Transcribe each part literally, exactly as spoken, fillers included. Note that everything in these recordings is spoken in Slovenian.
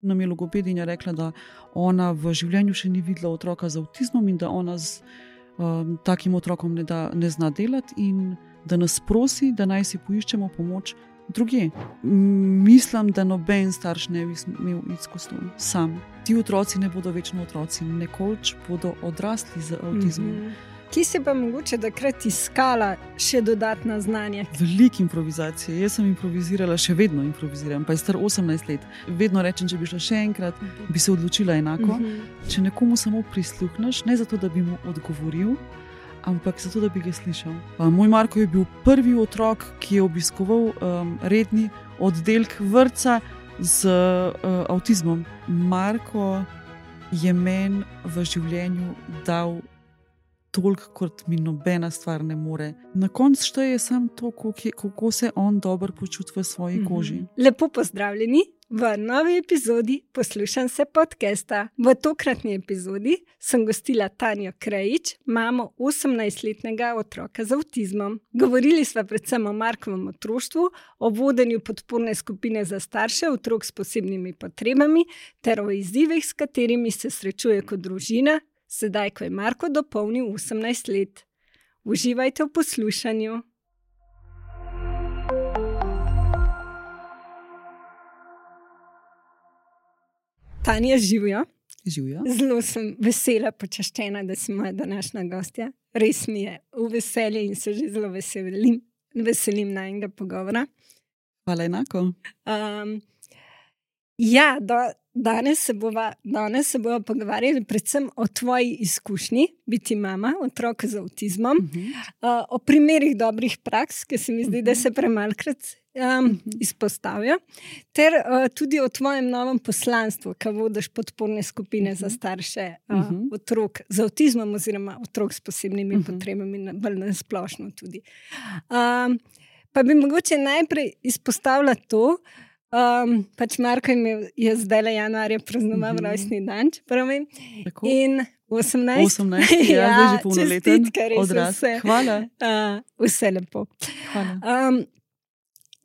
nam je logopedinja rekla, da ona v življenju še ni videla otroka z avtizmom in da ona z um, takim otrokom ne, da, ne zna delati in da nas prosi, da naj si poiščemo pomoč drugje. Mislim, da noben starš ne bi imel izkustva sam. Ti otroci ne bodo večno otroci, nekoč bodo odrasli z avtizmom. Mm-hmm. Ki si pa mogoče takrat iskala še dodatna znanja? Veliko improvizacije. Jaz sem improvizirala, še vedno improviziram, pa je star osemnajst let. Vedno rečem, če bi šla še enkrat, uh-huh. bi se odločila enako. Uh-huh. Če nekomu samo prisluhneš, ne zato, da bi mu odgovoril, ampak zato, da bi ga slišal. Moj Marko je bil prvi otrok, ki je obiskoval um, redni oddelek vrtca z uh, avtizmom. Marko je meni v življenju dal toliko, kot mi nobena stvar ne more. Na koncu šteje samo to, kako se on dobro počuti v svoji koži. Lepo pozdravljeni v novi epizodi Poslušam se podcasta. V tokratni epizodi sem gostila Tanjo Krajič, mamo osemnajstletnega otroka z avtizmom. Govorili sva predvsem o Markovem otroštvu, o vodenju podporne skupine za starše otrok s posebnimi potrebami ter o izzivih, s katerimi se srečuje kot družina, sedaj, ko je Marko dopolnil osemnajst let. Uživajte v poslušanju. Tanja, živjo. Živjo. Zelo sem vesela, počaščena, da si moja današnja gostja. Res mi je v veselje in se že zelo veselim, veselim najnega pogovora. Hvala enako. Um, ja, do, danes se bova, danes se bova pogovarjali predvsem o tvoji izkušnji, biti mama otroka z avtizmom, uh-huh. uh, o primerih dobrih praks, ki se mi zdi, uh-huh. da se premalkrat um, uh-huh. izpostavijo, ter uh, tudi o tvojem novem poslanstvu, ki vodiš podporne skupine uh-huh. za starše uh, uh-huh. otrok z avtizmom oziroma otrok s posebnimi uh-huh. potrebami, bolj nasplošno tudi. Um, pa bi mogoče najprej izpostavila to, Um, pač Marko je, je zdaj le januarja praznoval mm-hmm. rojstni dan, pravim. In osemnajst, osemnajst ja, ja, zdaj že polnoleten odraz. Vse, Hvala. Uh, vse lepo. Hvala. Um,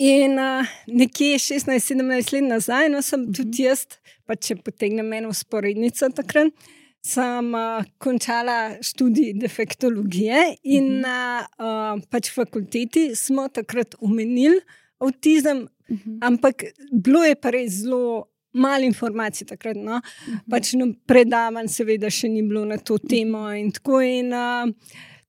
in uh, nekje šestnajst sedemnajst let nazaj, no sem mm-hmm. tudi jaz, pa če potegnem eno vzporednico takrat, sem uh, končala študij defektologije in mm-hmm. na uh, pač fakulteti smo takrat omenili avtizem, uh-huh. ampak bilo je pa res zelo malo informacij takrat, no. Uh-huh. Pač no, predavanj seveda še ni bilo na to temo in tako in uh,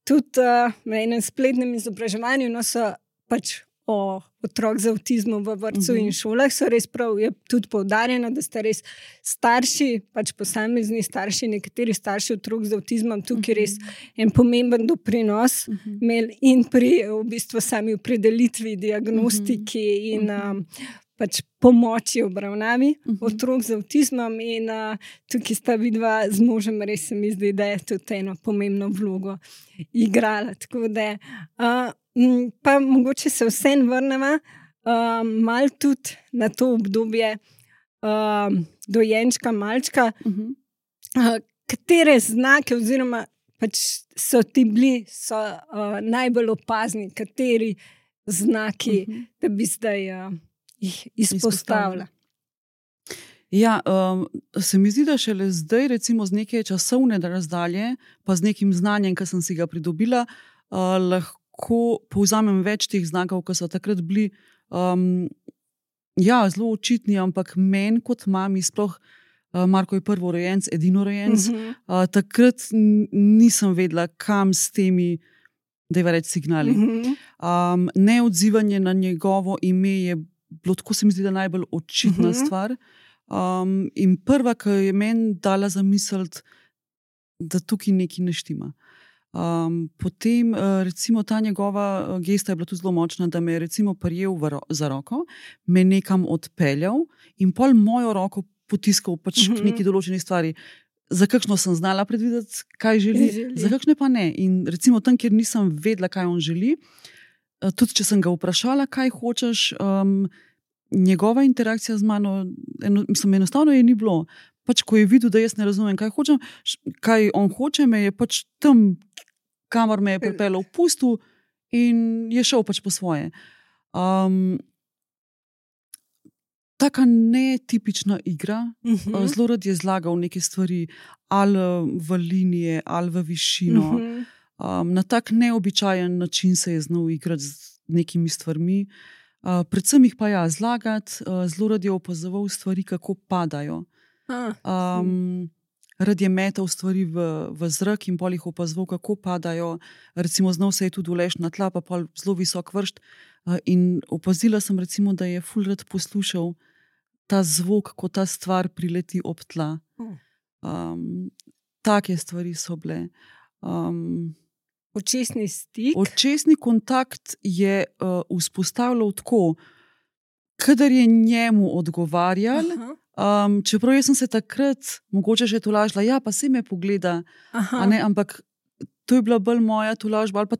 tudi uh, na enem spletnem izobraževanju, no, so pač o otrok z avtizmom v vrtcu uh-huh. in šolah, so res prav, je tudi poudarjeno, da ste res starši, pač posamezni starši, nekateri starši otrok z avtizmom, tukaj uh-huh. res en pomemben doprinos uh-huh. imeli in pri v bistvu sami opredelitvi, diagnostiki uh-huh. in um, pač pomoči obravnavi uh-huh. otrok z avtizmom in uh, tukaj sta vidva z možem, res se mi zdi, da je tudi eno pomembno vlogo igrala. Tako da uh, pa mogoče se vsem vrneva uh, malo tudi na to obdobje uh, dojenčka, malčka, uh-huh. uh, katere znake oziroma pač so ti bili, so uh, najbolj opazni, kateri znaki, uh-huh. da bi zdaj uh, jih izpostavila. Ja, um, se mi zdi, da šele zdaj, recimo z neke časovne razdalje, pa z nekim znanjem, ki sem si ga pridobila, uh, lahko ko povzamem več teh znakov, ki so takrat bili um, ja, zelo očitni, ampak meni kot mami, sploh uh, Marko je prvorojenec, edinorojenec, uh-huh. uh, takrat n- nisem vedela, kam s temi, dajva reči, signali. Uh-huh. Um, neodzivanje na njegovo ime je bilo, tako se mi zdi, da najbolj očitna uh-huh. stvar. Um, in prva, ki je meni dala zamisliti, da tukaj nekaj ne štima. Um, potem, uh, recimo, ta njegova gesta je bila tudi zelo močna, da me je recimo prijel ro- za roko, me nekam odpeljal in pol mojo roko potiskal pač uh-huh. k neki določeni stvari. Za kakšno sem znala predvideti, kaj želi, želi, za kakšne pa ne. In recimo tam, kjer nisem vedela, kaj on želi, uh, tudi če sem ga vprašala, kaj hočeš, um, njegova interakcija z mano, eno, mislim, enostavno je ni bilo. Pač, ko je videl, da jaz ne razumem, kaj hočem, kaj on hoče, me je pač tam, kamor me je pripeljal, pustil in je šel pač po svoje. Um, taka netipična igra. Uh -huh. Zelo rad je zlagal neke stvari, ali v linije, ali v višino. Uh -huh. Um, na tak neobičajen način se je znal igrati z nekimi stvarmi. Uh, predvsem jih pa ja, zlagati, uh, zelo rad je opazoval stvari, kako padajo. Um, rad je metal stvari v, v zrak in pol jih opazoval, kako padajo. Recimo, znal se je tudi uleči na tla, pa pol zelo visok vršt. Uh, in opazila sem, recimo, da je ful rad poslušal ta zvok, ko ta stvar prileti ob tla. Um, take stvari so bile. Um, Očesni stik. Očesni kontakt je uh, vzpostavljal tako, kadar je njemu odgovarjal. Um, čeprav jaz sem se takrat mogoče že tolažila, ja, pa se me pogleda, ne, ampak to je bila bolj moja tolažba, ali pa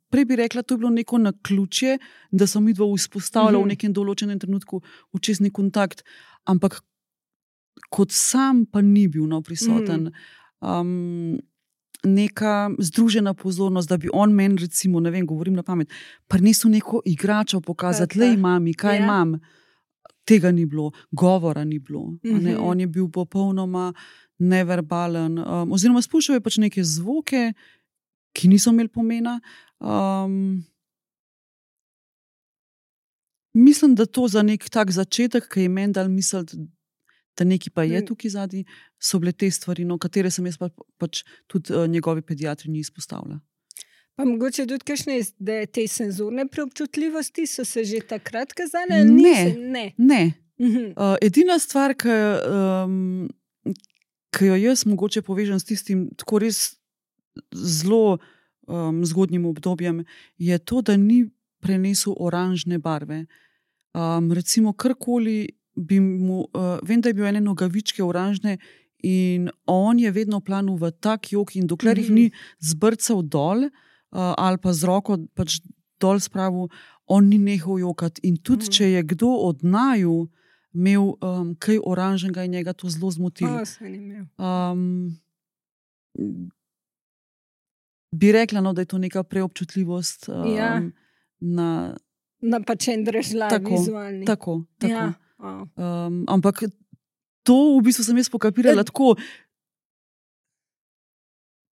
prej bi rekla, to je bilo neko naključje, da sem midva vzpostavila uh -huh. v nekem določenem trenutku očesni kontakt, ampak kot sam pa ni bil no, prisoten. Um, neka združena pozornost, da bi on meni, recimo, ne vem, govorim na pamet, prinesel neko igračo pokazati, lej mami, kaj ja. imam. Tega ni bilo, govora ni bilo. Mm-hmm. Ne? On je bil popolnoma neverbalen. Um, oziroma, spuščal je pač neke zvoke, ki niso imeli pomena. Um, mislim, da to za nek tak začetek, ki je meni dal misliti, da nekaj pa je tukaj zadnji, so bile te stvari, no, katere sem jaz pa, pač tudi uh, njegovi pediatri ni izpostavila. Pa mogoče tudi kakšne, da te senzorne preobčutljivosti so se že takrat kazale? Ne, Nisi, ne. ne. Uh-huh. Uh, edina stvar, ki, um, ki jo jaz mogoče povežem s tistim tako res zelo um, zgodnjim obdobjem, je to, da ni prenesel oranžne barve. Um, recimo, karkoli bi mu, uh, vem, da je bil ene nogavičke oranžne in on je vedno planil v tak jok in dokler uh-huh. jih ni zbrcal dol, Uh, ali pa z roko pač dol spravil, on ni nehal jokati. In tudi, mm. če je kdo od naju imel um, kaj oranžnega in njega to zelo zmotilo. Um, bi rekla, no, da je to neka preobčutljivost um, ja. na... Na pač en držlav vizualni. Tako, tako. Ja. Oh. Um, ampak to v bistvu sem jaz pokapirala tako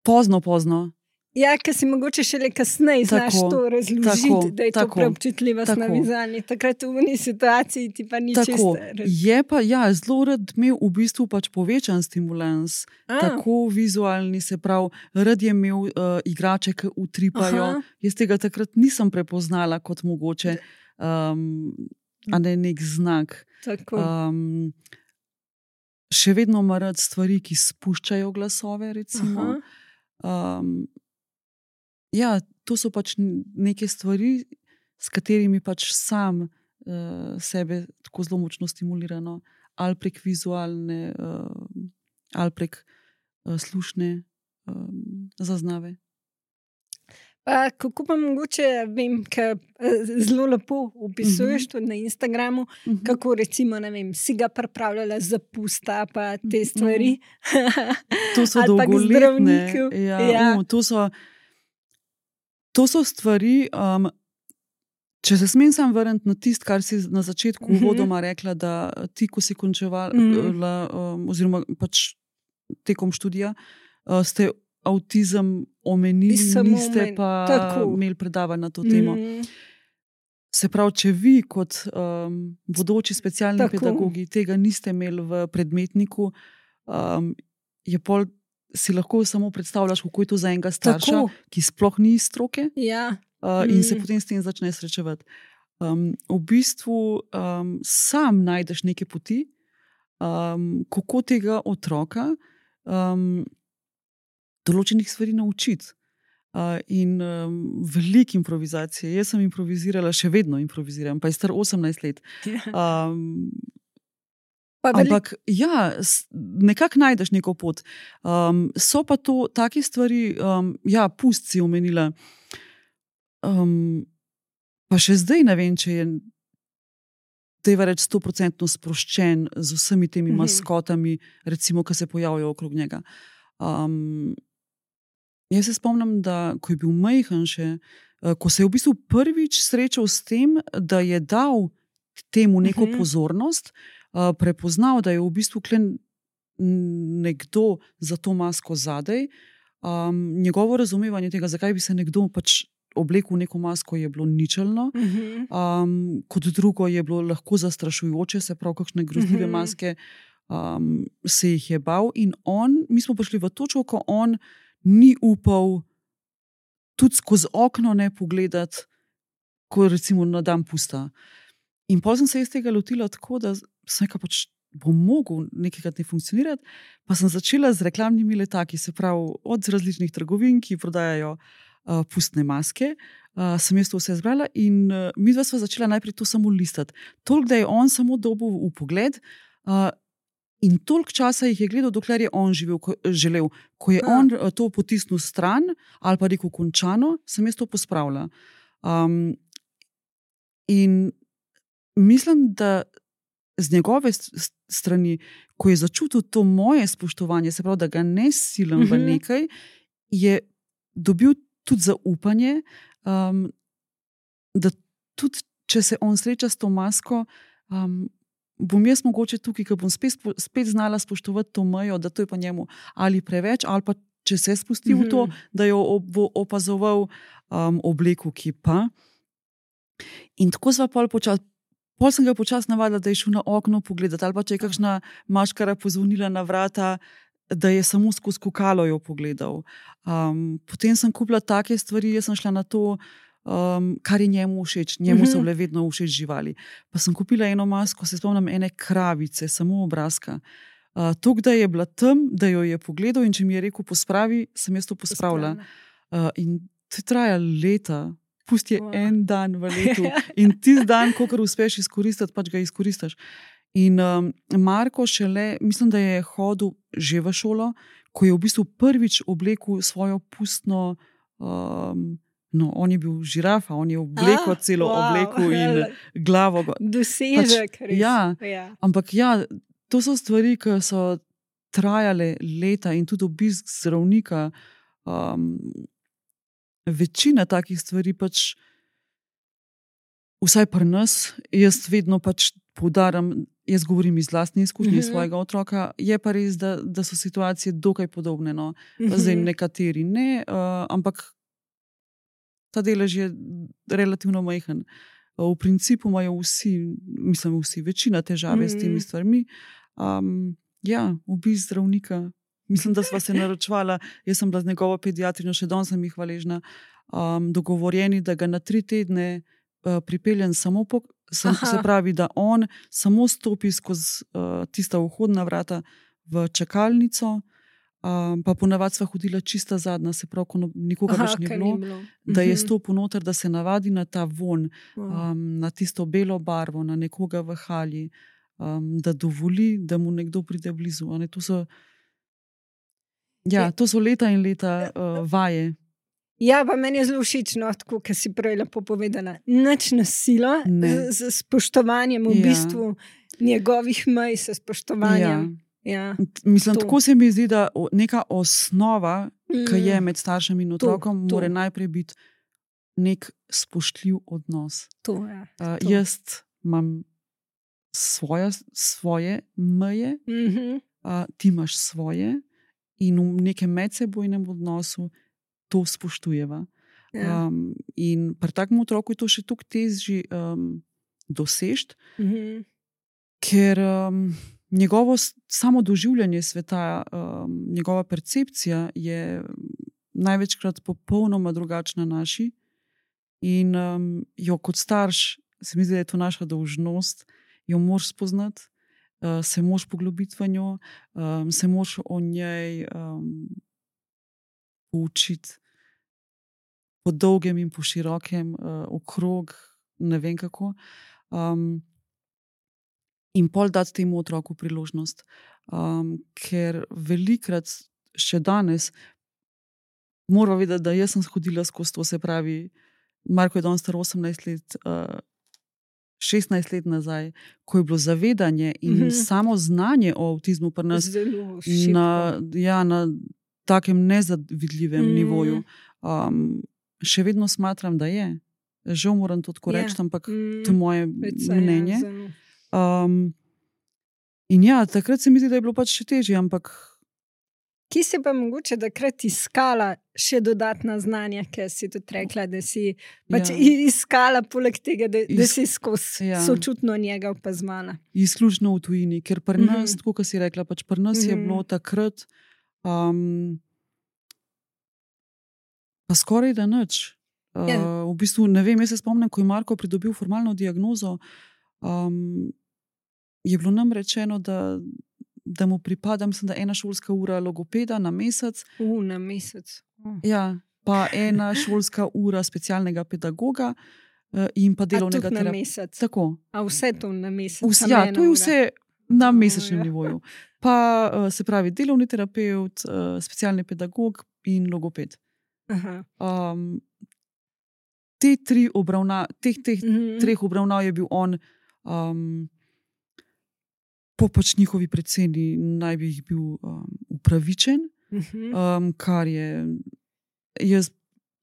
pozno, pozno. Ja, ker si mogoče šele kasneje znaš to razložiti, da je tako, to preobčutljivost na vizualni. Takrat v uni situaciji ti pa ni čisto. Je pa, ja, zelo rad imel v bistvu pač povečan stimulans. A. Tako vizualni, se pravi, rad je imel uh, igrače, ki utripajo. Aha. Jaz tega takrat nisem prepoznala kot mogoče um, a ne nek znak. Um, še vedno ima rad stvari, ki spuščajo glasove, recimo. Um, Ja, to so pač neke stvari, s katerimi pač sam uh, sebe tako zelo močno stimulirano, ali prek vizualne, uh, ali prek uh, slušne um, zaznave. Pa, kako pa mogoče, vem, ker zelo lepo opisuješ uh-huh. tudi na Instagramu, uh-huh. kako recimo, ne vem, si ga pripravljala za pusta, pa te stvari. Uh-huh. To so dolgoletne. Ja, ja. Um, to so... To so stvari, um, če se smem sam vrniti na tist, kar si na začetku uh-huh. uvodoma rekla, da ti, ko si končevala, uh-huh. um, oziroma pač tekom študija, uh, ste avtizem omenili, niste omen... pa Tako. imeli predavanja na to temo. Uh-huh. Se pravi, če vi kot um, bodoči specialni Tako. pedagogi tega niste imeli v predmetniku, um, je pol si lahko samo predstavljaš, kako je to za enega starša, Tako. ki sploh ni iz stroke ja. uh, in mm. se potem s tem začne srečevati. Um, v bistvu um, sam najdeš neke poti, um, kako tega otroka um, določenih stvari naučiti. Uh, in um, veliko improvizacije. Jaz sem improvizirala, še vedno improviziram, pa je star osemnajst let. Um, Ampak, ja, nekako najdeš neko pot. Um, so pa to take stvari, um, ja, pust si omenila. Um, pa še zdaj ne vem, če je tega reči stoprocentno sproščen z vsemi temi mm-hmm. maskotami, recimo, ki se pojavljajo okrog njega. Um, jaz se spomnim, da ko je bil majhen še, ko se je v bistvu prvič srečal s tem, da je dal temu neko Mhm. pozornost, uh, prepoznal, da je v bistvu klen nekdo za to masko zadej. Um, njegovo razumevanje tega, zakaj bi se nekdo pač oblekel v neko masko, je bilo ničelno. Mhm. Um, kot drugo je bilo lahko zastrašujoče, se pravi, kakšne grozljive Mhm. maske um, se jih je bal. In on, mi smo prišli v točko, ko on ni upal tudi skozi okno ne pogledati, ko recimo na dan pusta. In potem sem se iz tega lotila tako, da sem rekel, pač bom mogel nekajkrat ne funkcionirati, pa sem začela z reklamnimi letaki, se pravi od različnih trgovin, ki prodajajo uh, pustne maske. Uh, sem jaz to vse zbrala in uh, mi dva sva začela najprej to samo listati. Toliko, da je on samo dobil v pogled uh, in toliko časa jih je gledal, dokler je on živel, ko, želel. Ko je A. on uh, to potisnil stran ali pa rekel končano, sem jaz to pospravila. Um, in mislim, da z njegove strani, ko je začutil to moje spoštovanje, se pravi, da ga ne silim v nekaj, je dobil tudi zaupanje, um, da tudi, če se on sreča s to masko, um, bom jaz mogoče tukaj, ker bom spet, spet znala spoštovati to mejo, da to je pa njemu ali preveč, ali pa če se spusti v to, da jo bo opazoval um, obleku, ki pa. In tako sva pol počas, pol sem ga počas navadila, da je šel na okno pogledati, ali pa če je kakšna maškara pozvonila na vrata, da je samo skozi kukalo jo pogledal. Um, potem sem kupila take stvari, jaz sem šla na to, um, kar je njemu všeč. Njemu so bile vedno všeč živali. Pa sem kupila eno masko, se spomnim ene kravice, samo obrazka. Uh, Tok, da je bila tam, da jo je pogledal in če mi je rekel pospravi, sem jaz to pospravila. Uh, in to traja leta. Pusti je wow. En dan v letu in tisti dan, kolikor uspeš izkoristiti, pač ga izkoristiš. In um, Marko šele, mislim, da je hodil že v šolo, ko je v bistvu prvič oblekel svojo pustno, um, no, on je bil žirafa, on je oblekel ah, celo wow. obleku in glavo. Dosežek, pač, ja, ja. Ampak ja, to so stvari, ki so trajale leta in tudi obisk zdravnika. Um, Večina takih stvari pač, vsaj pri nas, jaz vedno pač poudarjam, jaz govorim iz lastne izkušnje, mm-hmm. svojega otroka, je pa res, da, da so situacije dokaj podobne. No. Mm-hmm. Zdaj nekateri ne, uh, ampak ta delež je relativno majhen. Uh, v principu imajo vsi, mislim vsi, večina težave mm-hmm. s temi stvarmi. Um, ja, obisk zdravnika. Mislim, da sva se naročvala, jaz sem bila z njegovo pediatrino, še danes sem jih hvaležna, um, dogovorjeni, da ga na tri tedne uh, pripeljem samo po, sem, se pravi, da on samo stopi skozi uh, tista vhodna vrata v čakalnico, um, pa ponavadi sva hodila čista zadnja, se pravi, ko nikoga več ni bilo, bilo, da je stopil noter, da se navadi na ta von, um, na tisto belo barvo, na nekoga v halji, um, da dovoli, da mu nekdo pride blizu. Ne, to so Ja, to so leta in leta uh, vaje. Ja, pa meni je zelo všeč, no, tako, kar si prej lepo povedala. Nič nasilo, z, z spoštovanjem v ja. bistvu njegovih mej, s spoštovanjem. Ja. Ja, Mislim, to. Tako se mi zdi, da neka osnova, mm. ki je med staršem in otrokom, to, to. mora najprej biti nek spoštljiv odnos. To, ja, uh, jaz imam svoje, svoje meje, mm-hmm. uh, ti imaš svoje. In v nekem medsebojnem odnosu to spoštujeva. Ja. Um, in pri takem otroku je to še toliko težje um, dosežeti, mm-hmm. ker um, njegovo samo doživljanje sveta, um, njegova percepcija je največkrat popolnoma drugačna naši. In um, jo kot starš, se mi zdi, da je to naša dolžnost, jo moraš spoznati. Uh, se moraš poglobiti v njo, um, se moraš o njej um, poučiti po dolgem in po širokem, uh, okrog, ne vem kako. Um, in pol dati temu otroku priložnost. Um, ker velikrat, še danes, moram vedeti, da jaz sem hodila skozi to, se pravi, Marko je danes star osemnajst let, uh, šestnajst let nazaj, ko je bilo zavedanje in mm-hmm. samo znanje o avtizmu pri nas na, ja, na takem nezavidljivem mm-hmm. nivoju, um, še vedno smatram, da je. žal moram to tako reči, Ja. ampak Mm, to je moje Peca, mnenje. Ja, zelo. Um, in ja, takrat se mi zdi, da je bilo pač še težje, ampak Kje si pa mogoče takrat iskala še dodatna znanja, ker si tudi rekla, da si pač Ja. i- iskala poleg tega, da, da Is- si skozi ja. sočutno njega opazmala. izključno v tujini, ker pri Mhm. nas, tako kot si rekla, pač pri nas je Mhm. bilo takrat um, pa skoraj da nič. Uh, Ja. v bistvu, ne vem, jaz se spomnim, ko je Marko pridobil formalno diagnozo, um, je bilo nam rečeno, da, da mu pripada, mislim, da ena šolska ura logopeda na mesec, U, na mesec. Oh. ja, pa ena šolska ura specialnega pedagoga uh, in pa A delovnega tudi na terapeuta. mesec. Tako. A vse to na mesec. Vse, samo ja, ena to je ura. vse na Oh, mesečnem ja. nivoju. Pa uh, se pravi, delovni terapeut, uh, specialni pedagog in logoped. Aha. Um, te tri obravna, teh, teh Mhm. treh obravnav je bil on, um, po pač njihovi predsedni, naj bi jih bil um, upravičen, Mhm. um, kar je, jaz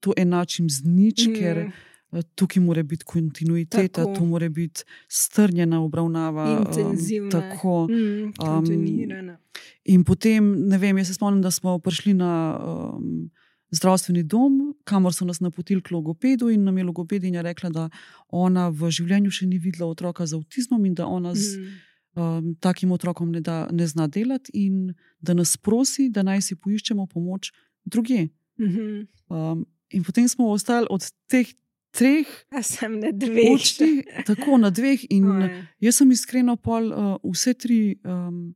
to enačim z nič, Mhm. ker uh, tukaj mora biti kontinuiteta, Tako. tu mora biti strnjena obravnava. Intenzivna. Um, tako. Mm, kontinuirana. In potem, ne vem, jaz se spomnim, da smo prišli na um, zdravstveni dom, kamor so nas napotili k logopedu, in nam je logopedinja rekla, da ona v življenju še ni videla otroka z avtizmom in da ona z Mm. um, takim otrokom ne, da, ne zna delati, in da nas prosi, da naj si poiščemo pomoč drugje. Mhm. Um, in potem smo ostali od teh treh A sem na dveh. odšli tako na dveh, in Oj. jaz sem iskreno pol uh, vse tri um,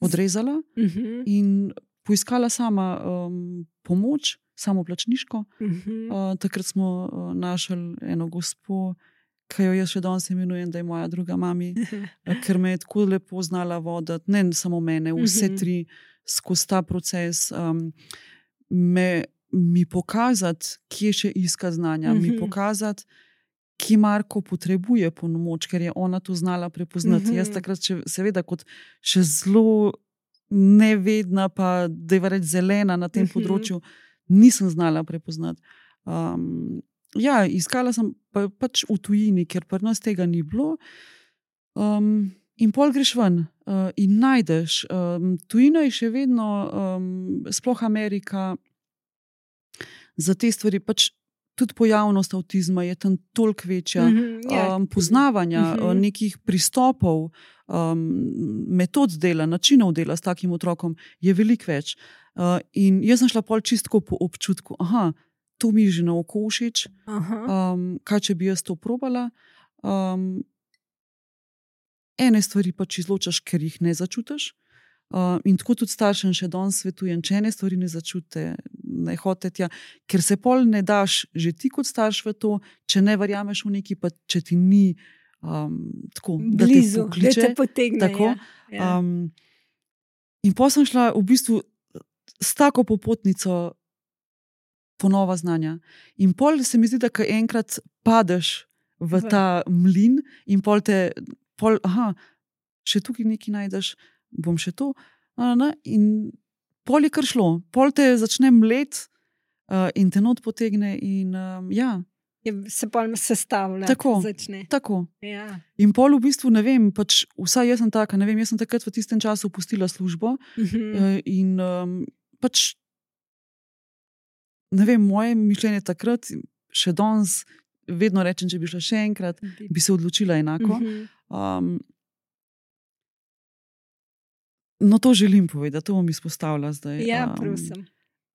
odrezala Mhm. in poiskala sama um, pomoč, samoplačniško. Mhm. Uh, takrat smo uh, našli eno gospo, ki jo jaz še danes imenujem, da je moja druga mami, uh, ker me je tako lepo znala voditi, ne samo mene, vse Mhm. tri skozi ta proces. Um, me, mi pokazati, kje še iska znanja, mi Mhm. pokazati, ki Marko potrebuje pomoč, ker je ona to znala prepoznati. Mhm. Jaz takrat, še, seveda, kot še zelo nevedna, pa da je reči zelena na tem Mhm. področju, nisem znala prepoznati. Um, ja, iskala sem pa, pač v tujini, ker pri nas tega ni bilo. Um, in pol greš ven uh, in najdeš. Um, tujina je še vedno, um, sploh Amerika, za te stvari pač. Tudi pojavnost avtizma je tam toliko večja, Mhm, ja. um, poznavanja Mhm. uh, nekih pristopov, um, metod dela, načinov dela s takim otrokom je veliko več. Uh, in jaz sem šla pol čistko po občutku, aha, to mi je že na oko všeč, Aha. um, kaj če bi jaz to probala. Um, ene stvari pač izločaš, ker jih ne začutiš. Uh, in tako tudi staršem še danes svetujem, če ene stvari ne začutite, ne hodite tja, ker se pol ne daš že ti kot starš v to, če ne verjameš v neki, pa če ti ni um, tako, da te Blizu, da pokliče. te potegne. Tako. Ja. Ja. Um, in potem sem šla v bistvu s tako popotnico po nova znanja. In pol se mi zdi, da ko enkrat padeš v V. ta mlin in pol te, pol, aha, še tukaj nekaj najdeš, bom še to. a, ne, In pol je kar šlo, pol te začne mlet uh, in te not potegne. In, um, ja, Je, se pa sestavlja. Tako. Začne. tako. Ja. In pol v bistvu ne vem, pač vsaj jaz sem taka, ne vem, jaz sem takrat v tistem času opustila službo. Mhm. Uh, in um, pač, ne vem, moje mišljenje takrat, še danes, vedno rečem, če bi šla še enkrat, bi se odločila enako. Mhm. Um, no, to želim povedati, to bom izpostavila zdaj. Ja, Um, prosim.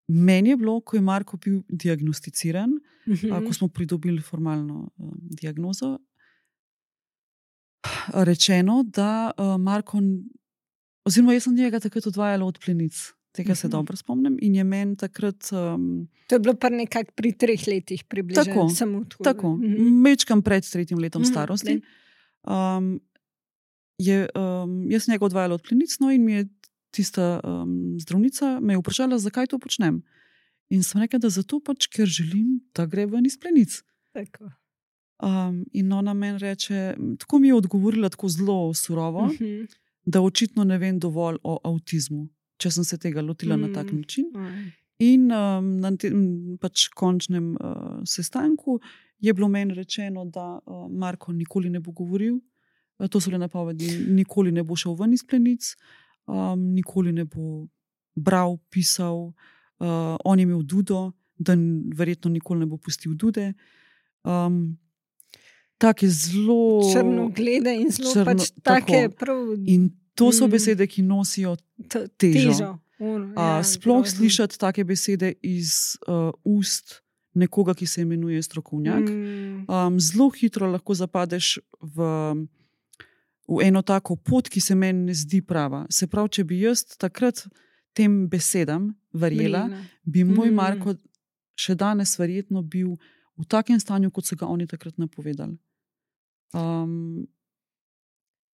meni je bilo, ko je Marko bil diagnosticiran, Mhm. a, ko smo pridobili formalno um, diagnozo, rečeno, da uh, Marko, oziroma jaz sem njega takrat odvajala od plenic. Tega se Mhm. dobro spomnim. In je meni takrat. Um, To je bilo pa nekako pri treh letih približno. Tako, Samo tako. tako, Mhm. mečkam pred tretjim letom Mhm, starosti. ne. Um, je, um, jaz sem njega odvajala od plenic, no, in mi je tista um, zdravnica me je vprašala, zakaj to počnem. In sem rekla, da zato pač, ker želim, da gre ven iz plenic. Tako. Um, in ona meni reče, tako mi je odgovorila, tako zelo surovo, Mhm. da očitno ne vem dovolj o avtizmu, če sem se tega lotila mm. na tak način. Oj. In um, na tem pač končnem uh, sestanku je bilo meni rečeno, da uh, Marko nikoli ne bo govoril, uh, to so le napovedi, nikoli ne bo šel ven iz plenic, um, nikoli ne bo bral, pisal, uh, on je imel dudo, da verjetno nikoli ne bo pustil dude. Um, take zelo črnoglede in zelo črno, pač take prav. In to so besede, ki nosijo težo. težo. Uno, ja, uh, sploh grozno. slišati take besede iz uh, ust nekoga, ki se imenuje strokovnjak. Mm. Um, zelo hitro lahko zapadeš v, v eno tako pot, ki se meni ne zdi prava. Se pravi, če bi jaz takrat tem besedam verjela, Mlina. bi moj Mm. Marko še danes verjetno bil v takem stanju, kot so ga oni takrat napovedali. Um,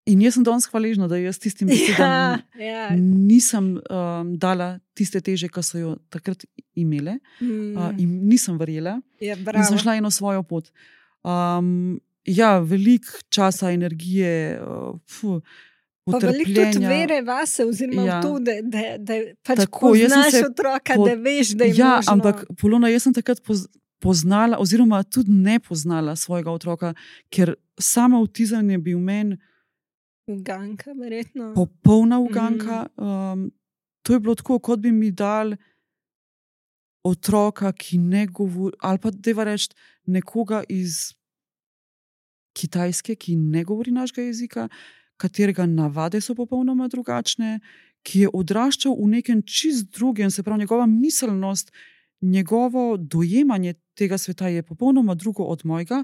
in jaz sem danes hvaležna, da jaz tistim besedam Ja, ja. nisem um, dala tiste teže, ki so jo takrat imele, Mm. uh, in nisem verjela, Ja, in bravo. sem šla eno svojo pot. Um, ja, veliko časa, energije, uh, fu, Pa veliko tudi potrpljenja. vere vase, oziroma Ja. v to, da, da, da pač Tako, jaz sem poznaš se otroka, po- da veš, da je Ja, možno. ampak Polona, jaz sem takrat poz, poznala, oziroma tudi ne poznala svojega otroka, ker sama avtizem je bil meni Uganka, verjetno. popolna uganka. Um, to je bilo tako, kot bi mi dal otroka, ki ne govori, ali pa deva reči nekoga iz Kitajske, ki ne govori našega jezika, katerega navade so popolnoma drugačne, ki je odraščal v nekem čist drugem, se pravi, njegova miselnost, njegovo dojemanje tega sveta je popolnoma drugo od mojega.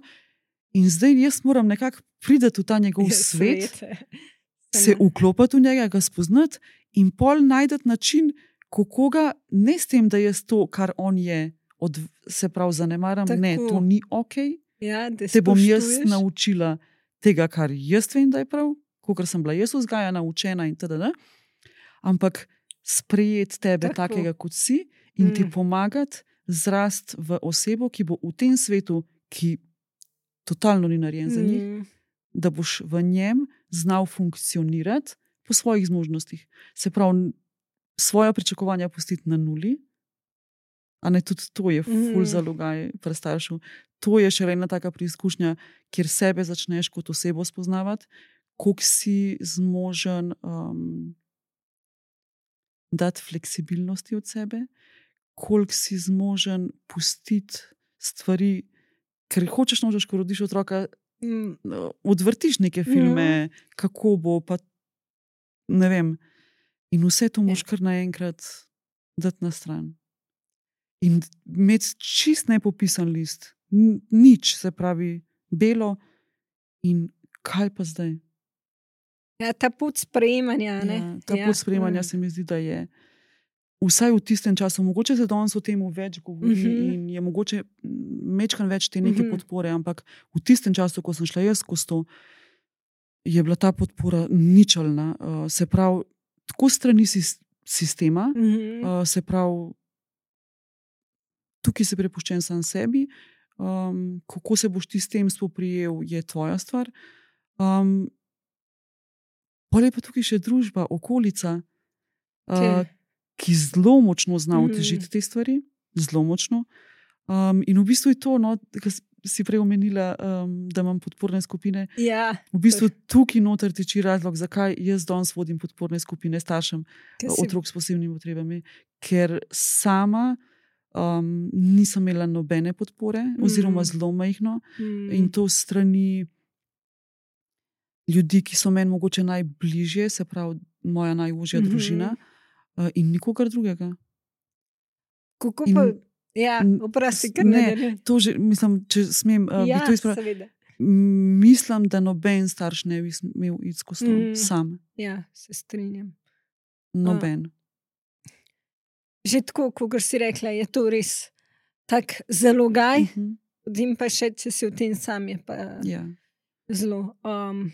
In zdaj jaz moram nekako priti v ta njegov svet, Svete. se vklopiti v njega, ga spoznati in pol najti način, kako ga, ne s tem, da jaz to, kar on je, od, se pravi, zanemaram, Tako. ne, to ni ok. Ja, da Te bom jaz spoštuješ. naučila tega, kar jaz vem, da je prav, kot sem bila jaz vzgajana, učena in tako naprej. Ampak sprejeti tebe Tako. takega, kot si, in ti Mm. pomagati zrasti v osebo, ki bo v tem svetu, ki totalno ni narejen za njih, Mm. da boš v njem znal funkcionirati po svojih zmožnostih. Se pravi, svoja pričakovanja pustiti na nuli, a ne tudi to je ful Mhm. zalogaj pri staršu. To je še ena taka preizkušnja, kjer sebe začneš kot osebo spoznavati, koliko si zmožen um, dati fleksibilnosti od sebe, koliko si zmožen pustiti stvari, ker hočeš nočeš, ko rodiš otroka, Mm. odvrtiš neke filme, kako bo, pa ne vem. In vse to moš kar naenkrat dati na stran. In imeti čist nepopisan list, N- nič, se pravi, belo, in kaj pa zdaj? Ja, ta pot sprejemanja. Ne? Ja, ta pot sprejemanja se mi zdi, da je vsaj v tistem času, mogoče se danes o tem več govori Mhm. in je mogoče mečkan več te neke Mhm. podpore, ampak v tistem času, ko sem šla jaz skozi to, je bila ta podpora ničelna. Uh, se pravi, tako strani sis- sistema, Mhm. uh, se pravi, tukaj si prepuščen sam sebi, um, kako se boš ti s tem spoprijel, je tvoja stvar. Um, pa je pa tukaj še družba, okolica, uh, Te- ki zelo močno zna Mhm. otežiti te stvari, zelo močno. Um, in v bistvu je to, no, kar si prej omenila, um, da imam podporne skupine. Ja, V bistvu tukaj noter tiči razlog, zakaj jaz danes vodim podporne skupine staršem ker si- otrok s posebnimi potrebami, ker sama um, nisem imela nobene podpore, Mm. oziroma zelo majhno, Mm. in to strani ljudi, ki so meni mogoče najbližje, se pravi, moja najožja Mhm. družina, uh, in nikogar drugega. Kako in- pa, ja, in- oprosti, ker ne, ne gre. To že, mislim, če smem, uh, Ja, bi to izpravila. seveda. Mislim, da noben starš ne bi smel iti skozi to Mm. sam. Ja, se strinjam. Noben. Že tako, kot si rekla, je to res tak zalogaj, Mhm. potem pa še, če si v tem sam, je pa Ja. zelo um,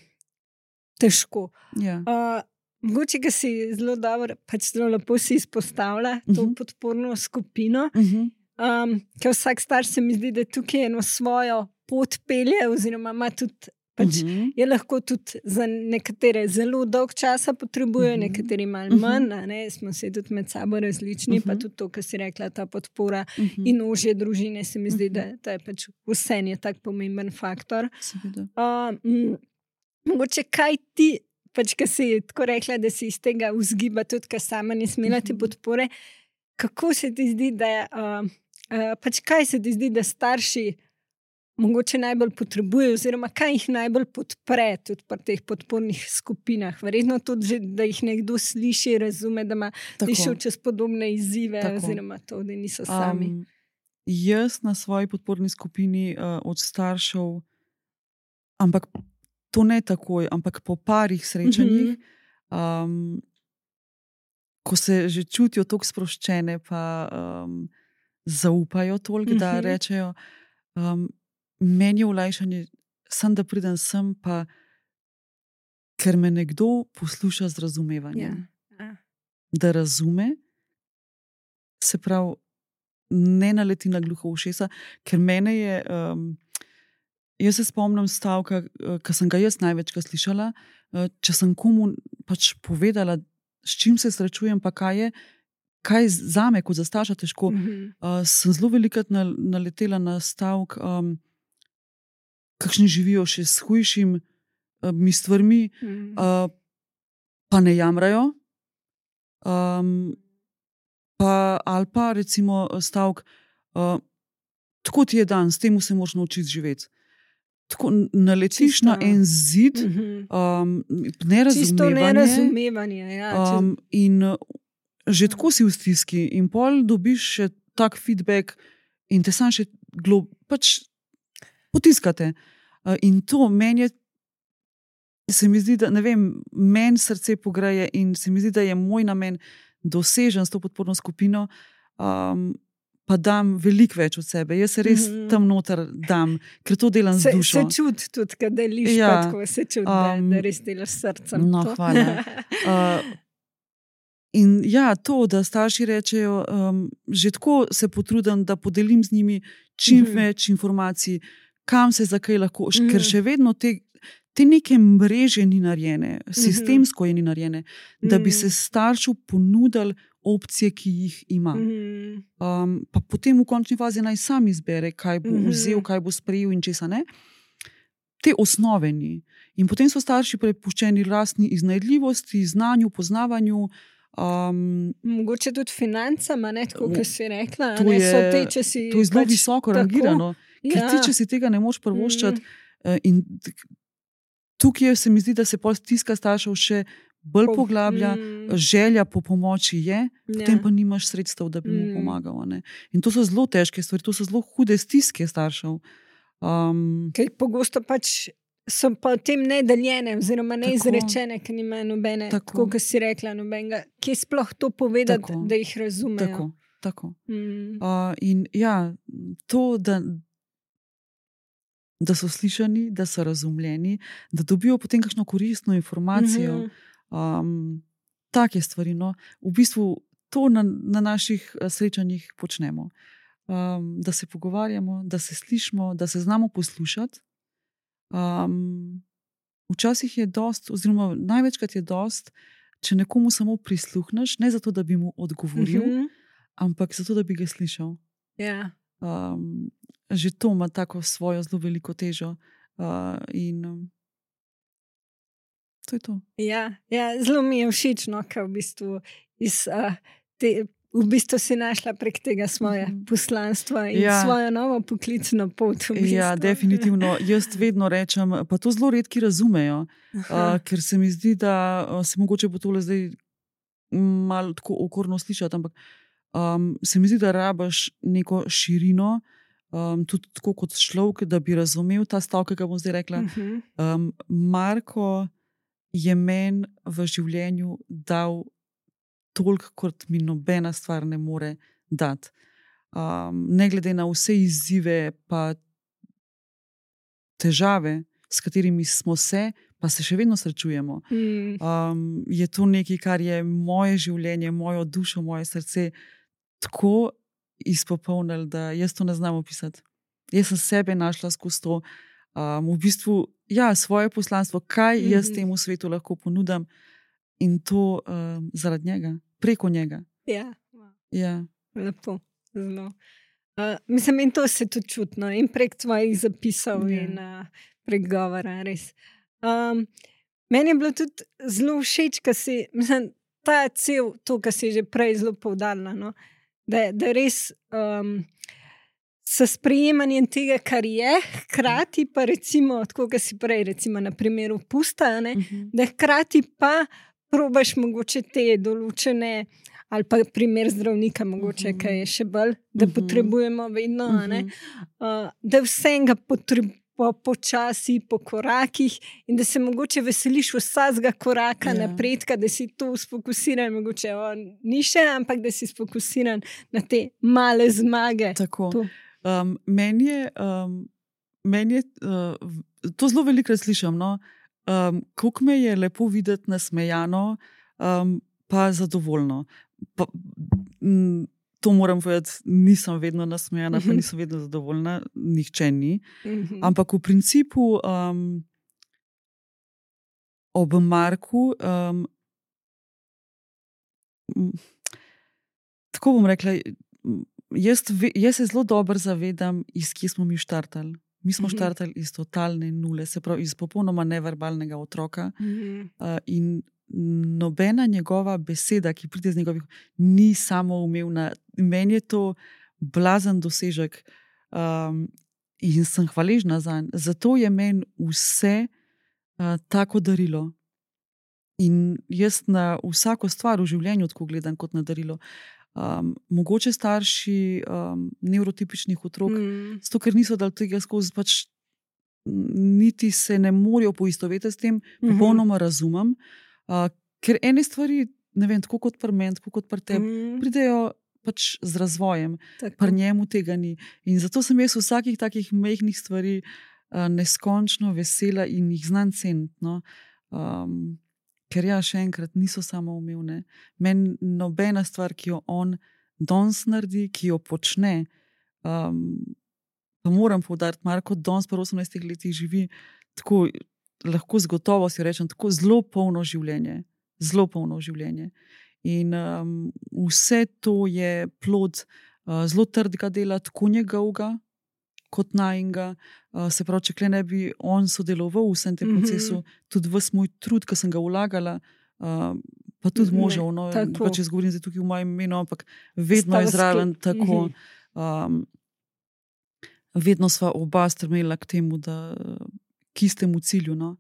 težko. Ja. Uh, mogoče, ki si zelo dobro, pač zelo lepo si izpostavlja to Mhm. podporno skupino. Mhm. Um, ker vsak starš se mi zdi, da tukaj eno svojo pot pelje, oziroma ima tudi Pač uh -huh. je lahko tudi za nekatere zelo dolg časa potrebujejo, uh -huh. nekateri malo manj, uh -huh. ne, smo se tudi med sabo različni, uh -huh. pa tudi to, kar si rekla, ta podpora uh -huh. in ožje družine, se mi zdi, uh -huh. da, da je pač vse je tak pomemben faktor. Uh, mogoče kaj ti, pač, ki si tako rekla, da si iz tega vzgiba, tudi ker sama nisem imela te podpore, kako se ti zdi, da je, uh, uh, pač kaj se ti zdi, da starši mogoče najbolj potrebujejo, oziroma kaj jih najbolj podpre tudi pri teh podpornih skupinah. Verjetno tudi, že, da jih nekdo sliši, razume, da ima šel čez podobne izzive, tako. Oziroma to, da niso sami. Um, jaz na svoji podporni skupini uh, od staršev, ampak to ne takoj, ampak po parih srečanjih, uh -huh. um, ko se že čutijo tako sproščene, pa um, zaupajo toliko, uh -huh. da rečejo, um, meni je olajšanje, sem da pridem sem, pa ker me nekdo posluša z razumevanjem. Ja. Da razume, se pravi, ne naleti na gluho ušesa, ker mene je, um, jaz se spomnim stavka, ki sem ga jaz največkrat slišala, če sem komu pač povedala, s čim se srečujem, pa kaj je, kaj zame kot za starša težko, uh -huh. uh, sem zelo velikrat naletela na stavek, um, kakšni živijo še s hujšimi uh, stvarmi, mm. uh, pa ne jamrajo. Um, pa, ali pa recimo stavek, uh, tako ti je dan, s tem se moraš naučiti živeti. Tako naletiš Čisto. Na en zid, um, nerazumevanje. Čisto nerazumevanje. Ja, um, in uh, že tako si v stiski, in pol dobiš še tak feedback, in te sam še glob, pač potiskate. Uh, in to meni je, se mi zdi, da ne vem, meni srce pogreje, in se mi zdi, da je moj namen dosežen s to podporno skupino, um, pa dam veliko več od sebe. Jaz se res mm-hmm. tam noter dam, ker to delam z dušo. Se čuti tudi, kad deliš, ja, pa tako se čuti, um, da, da res delaš srcem. No, to. Hvala. Uh, in ja, to, da starši rečejo, um, že tako se potrudim, da podelim z njimi čim mm-hmm. več informacij, kam se zakaj lahko, mm-hmm. ker še vedno te, te neke mreže ni narejene, sistemsko je ni narejene, mm-hmm. da bi se staršu ponudili opcije, ki jih ima. Mm-hmm. Um, pa potem v končni fazi naj sam izbere, kaj bo mm-hmm. vzel, kaj bo sprejel in česa ne. Te osnove ni. In potem so starši prepuščeni lastni iznajdljivosti, znanju, poznavanju. Um, Mogoče tudi financama, ne, tako, kot si rekla. To, ne, je, so te, če si to je zelo pač visoko rangirano. Ker ja. ti, če si tega ne moš prvoščati, mm. in tukaj se mi zdi, da se pol stiska staršev še bolj po, poglablja, mm. želja po pomoči je, potem ja. pa nimaš sredstev, da bi mu mm. pomagal. Ne. In to so zelo težke stvari, to so zelo hude stiske staršev. Um, Ker pogosto pač so pa tem nedeljene, oziroma neizrečene, ker nimajo nobene, tako, tako kot si rekla, nobenega, ki je sploh to povedati, tako, da jih razumejo. Tako, tako. Mm. Uh, in ja, to, da da so slišani, da so razumljeni, da dobijo potem kakšno koristno informacijo. Mm-hmm. Um, take stvari. No. V bistvu to na, na naših srečanjih počnemo. Um, da se pogovarjamo, da se slišimo, da se znamo poslušati. Um, včasih je dost, oziroma največkrat je dost, če nekomu samo prisluhneš, ne zato, da bi mu odgovoril, mm-hmm. ampak zato, da bi ga slišal. Ja. Um, že to ima tako svojo zelo veliko težo. Uh, in um, to je to. Ja, ja, zelo mi je všeč, no, ker v bistvu, iz, uh, te, v bistvu si našla prek tega svoje mm-hmm. poslanstva in ja. svojo novo poklicno pot. V bistvu. Ja, definitivno. Jaz vedno rečem, pa to zelo redki razumejo, uh, ker se mi zdi, da uh, se mogoče bo tole zdaj malo tako okorno slišati, ampak Um, se mi zdi, da rabaš neko širino, um, tudi tako kot človek, da bi razumel ta stavek, ki ga bom zdaj rekla. Uh-huh. Um, Marko je meni v življenju dal toliko, kot mi nobena stvar ne more dati. Um, ne glede na vse izzive pa težave, s katerimi smo se, pa se še vedno srečujemo. Mm. Um, je to nekaj, kar je moje življenje, mojo dušo, moje srce tako izpopolnili, da jaz to ne znam opisati. Jaz sem sebe našla skozi to, Um, v bistvu, ja, svoje poslanstvo, kaj mm -hmm. jaz temu svetu lahko ponudim in to um, zaradi njega, preko njega. Ja, ja. lepo, zelo. Uh, mislim, in to se tudi čutno in prek tvojih zapisov ja. in uh, prek govora, res. Um, meni je bilo tudi zelo všeč, ka si, mislim, ta cel, to, kar si že prej zelo poudarila, no? da, da res um, s sprejemanjem tega, kar je, hkrati pa recimo, tako kot si prej, recimo na primeru pusta, ne, uh -huh. da hkrati pa probaš mogoče te določene, ali pa primer zdravnika, mogoče, uh -huh. kaj je še bolj, da uh -huh. potrebujemo vedno, uh -huh. ne, uh, da vsega potrebujemo po počasi, po korakih in da se mogoče veseliš vsakega koraka yeah. napredka, da si to sfokusiran, mogoče o, ni še, ampak da si sfokusiran na te male zmage. Tako. Um, meni je, um, meni je uh, to zelo velikokrat slišam, no? um, koliko me je lepo videti nasmejano, um, pa zadovoljno. Pa, m, To moram povedati, nisem vedno nasmejana, pa nisem vedno zadovoljna, nihče ni. Ampak v principu um, ob Marku, um, tako bom rekla, jaz, jaz se zelo dobro zavedam, iz kje smo mi štartali. Mi smo štartali iz totalne nule, se pravi iz popolnoma neverbalnega otroka uh, in nobena njegova beseda, ki pride z njegovih, ni samoumevna. Meni je to blazen dosežek um, in sem hvaležna zanj. Zato je meni vse uh, tako darilo. In jaz na vsako stvar v življenju tako gledam kot na darilo. Um, mogoče starši um, nevrotipičnih otrok, mm. zato ker niso dali tega skozi, pač niti se ne morejo poistovetiti s tem, mm-hmm. popolnoma razumem. Uh, ker ene stvari, ne vem, tako kot pri meni, tako kot pri tebi, mm. pridejo pač z razvojem, pri njemu tega ni. In zato sem jaz vsakih takih mehkih stvari uh, neskončno vesela in jih znam ceniti. No? Um, ker ja, še enkrat, niso samoumevne. Meni nobena stvar, ki jo on danes naredi, ki jo počne, um, pa moram poudariti, Marko danes pa osemnajstih letih živi tako, lahko z gotovostjo rečem, tako zelo polno življenje. Zelo polno življenje. In um, vse to je plod uh, zelo trdega dela, tako njegovega, kot najinga. Uh, se pravi, če ne bi on sodeloval v vsem tem mm-hmm. procesu, tudi ves moj trud, ki sem ga vlagala, uh, pa tudi možev, no, pa če zgovorim zdaj tukaj v mojem imenu, ampak vedno je zraven tako. Um, vedno sva oba strmela k temu, da k istemu cilju. No.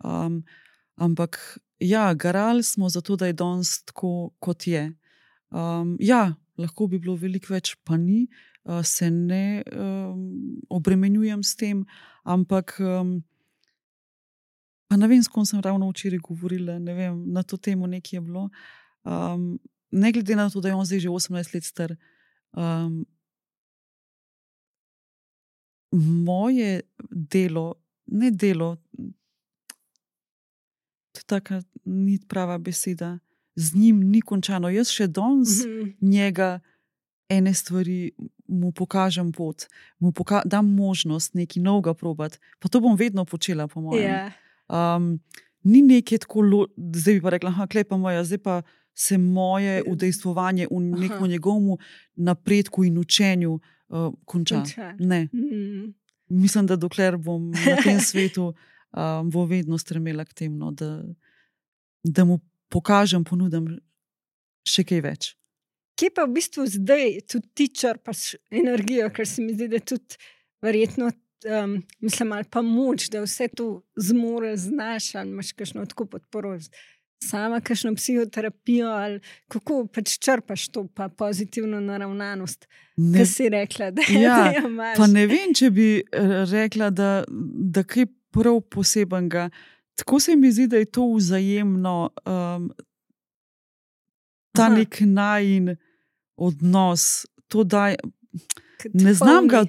Um, ampak ja, garali smo zato, da je danes tako, kot je. Um, ja, lahko bi bilo veliko več, pa ni. Uh, se ne um, obremenjujem s tem, ampak um, pa ne vem, s kom sem ravno včeraj govorila, ne vem, na to temo nekaj je bilo. Um, ne glede na to, da je on zdaj že osemnajst let star, um, moje delo, ne delo, to je taka ni prava beseda, z njim ni končano. Jaz še danes mm-hmm. njega ene stvari mu pokažem pot, mu poka- dam možnost nekaj novega probati, pa to bom vedno počela, po mojem. Yeah. Um, ni nekaj tako, lo- zdaj bi pa rekla, aha, klej pa moja, zdaj pa se moje udejstvovanje v nekom njegovemu napredku in učenju uh, konča. konča. Ne. Mm. Mislim, da dokler bom na tem svetu, um, bo vedno stremela k tem, no, da, da mu pokažem, ponudim še kaj več. Kje pa v bistvu zdaj tudi ti črpaš energijo, ker se mi zdi, da tudi verjetno, um, mislim, ali pa moč, da vse to zmore, znaš, ali imaš kakšno tako podporo, sama kakšno psihoterapijo, ali kako pač črpaš to pa pozitivno naravnanost, ki si rekla, da, ja, da jo imaš. Pa ne vem, če bi rekla, da, da kaj prav posebenega. Tako se mi zdi, da je to vzajemno, um, ta Aha. nek najin odnos, to daj, ne znam ga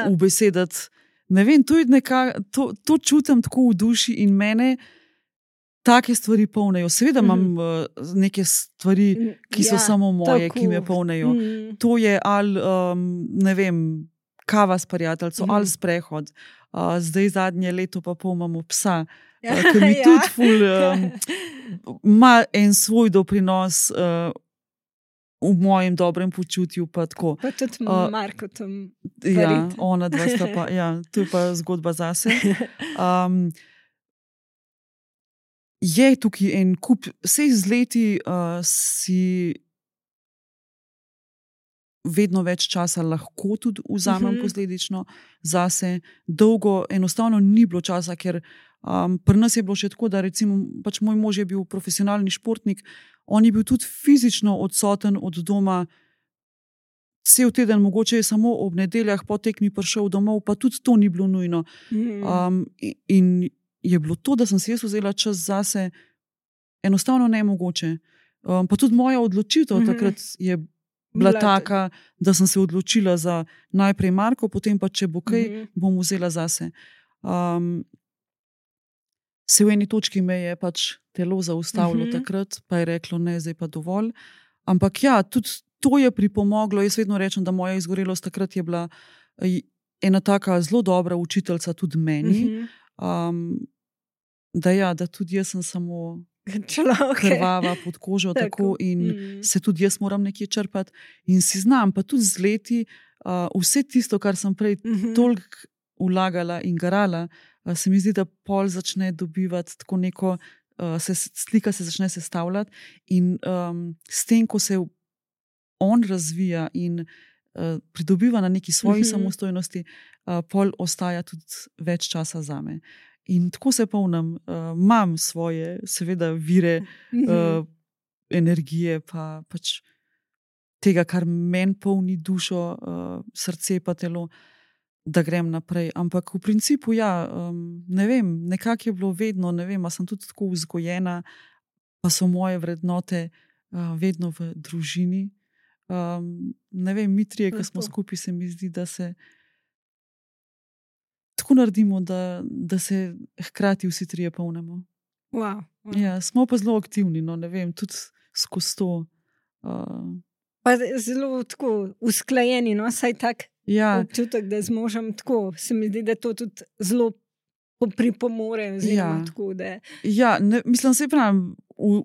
ubesedati, ne vem, to, je neka, to, to čutim tako v duši in mene take stvari polnejo. Seveda imam mm. neke stvari, ki so ja, samo moje, tako. Ki me polnejo. Mm. To je ali, um, ne vem, kava s prijateljco Mhm. ali sprehod. Uh, zdaj zadnje leto pa pol imamo psa, Ja, uh, ki mi ja. tudi ful, um, ima en svoj doprinos uh, v mojem dobrem počutju. Pa tako. Pa tudi Uh, Marko tam Ja, parit. ona dva sta pa, ja, to je pa zgodba zase. Um, je tukaj en kup, vsej z leti uh, si vedno več časa lahko tudi vzamem Mhm. posledično zase. Dolgo enostavno ni bilo časa, ker um, pri nas je bilo še tako, da recimo pač moj mož je bil profesionalni športnik, on je bil tudi fizično odsoten od doma cel teden, mogoče je samo ob nedeljah po tekmi prišel domov, pa tudi to ni bilo nujno. Mhm. Um, in je bilo to, da sem si jaz vzela čas zase, enostavno nemogoče. Um, pa tudi moja odločitev Mhm. takrat je bila Bila taka, da sem se odločila za najprej Marko, potem pa, če bo kaj, Mhm. bom vzela zase. Um, se v eni točki me je pač telo zaustavilo Mhm. takrat, pa je reklo, ne, zdaj pa dovolj. Ampak ja, tudi to je pripomoglo. Jaz vedno rečem, da moja izgorelost takrat je bila eh, ena taka zelo dobra učiteljica tudi meni. Mhm. Um, da ja, da tudi jaz sem samo Človek. krvava pod kožo Tako. tako in Mhm. se tudi jaz moram nekje črpati in si znam, pa tudi z leti uh, vse tisto, kar sem prej Mhm. toliko vlagala in garala, uh, se mi zdi, da pol začne dobivati tako neko, uh, se, slika se začne sestavljati in um, s tem, ko se on razvija in uh, pridobiva na neki svoji Mhm. samostojnosti, uh, pol ostaja tudi več časa zame. In tako se polnim, uh, imam svoje, seveda, vire Mhm. uh, energije, pa pač tega, kar meni polni dušo, uh, srce pa telo, da grem naprej. Ampak v principu, ja, um, ne vem, nekako je bilo vedno, ne vem, a sem tudi tako vzgojena, pa so moje vrednote uh, vedno v družini. Um, ne vem, mi trije, ki smo Lepo. skupaj, se mi zdi, da se tako naredimo, da, da se hkrati vsi trije polnimo. Wow. Wow. Ja, smo pa zelo aktivni, no, ne vem, tudi skozi to. Uh, Pa zelo tako usklajeni, no, saj tak ja, občutek, da z možem tako, se mi zdi, da to tudi zelo po- pripomore. Oziroma, Ja. tako, da, ja ne, mislim, se pravim, v,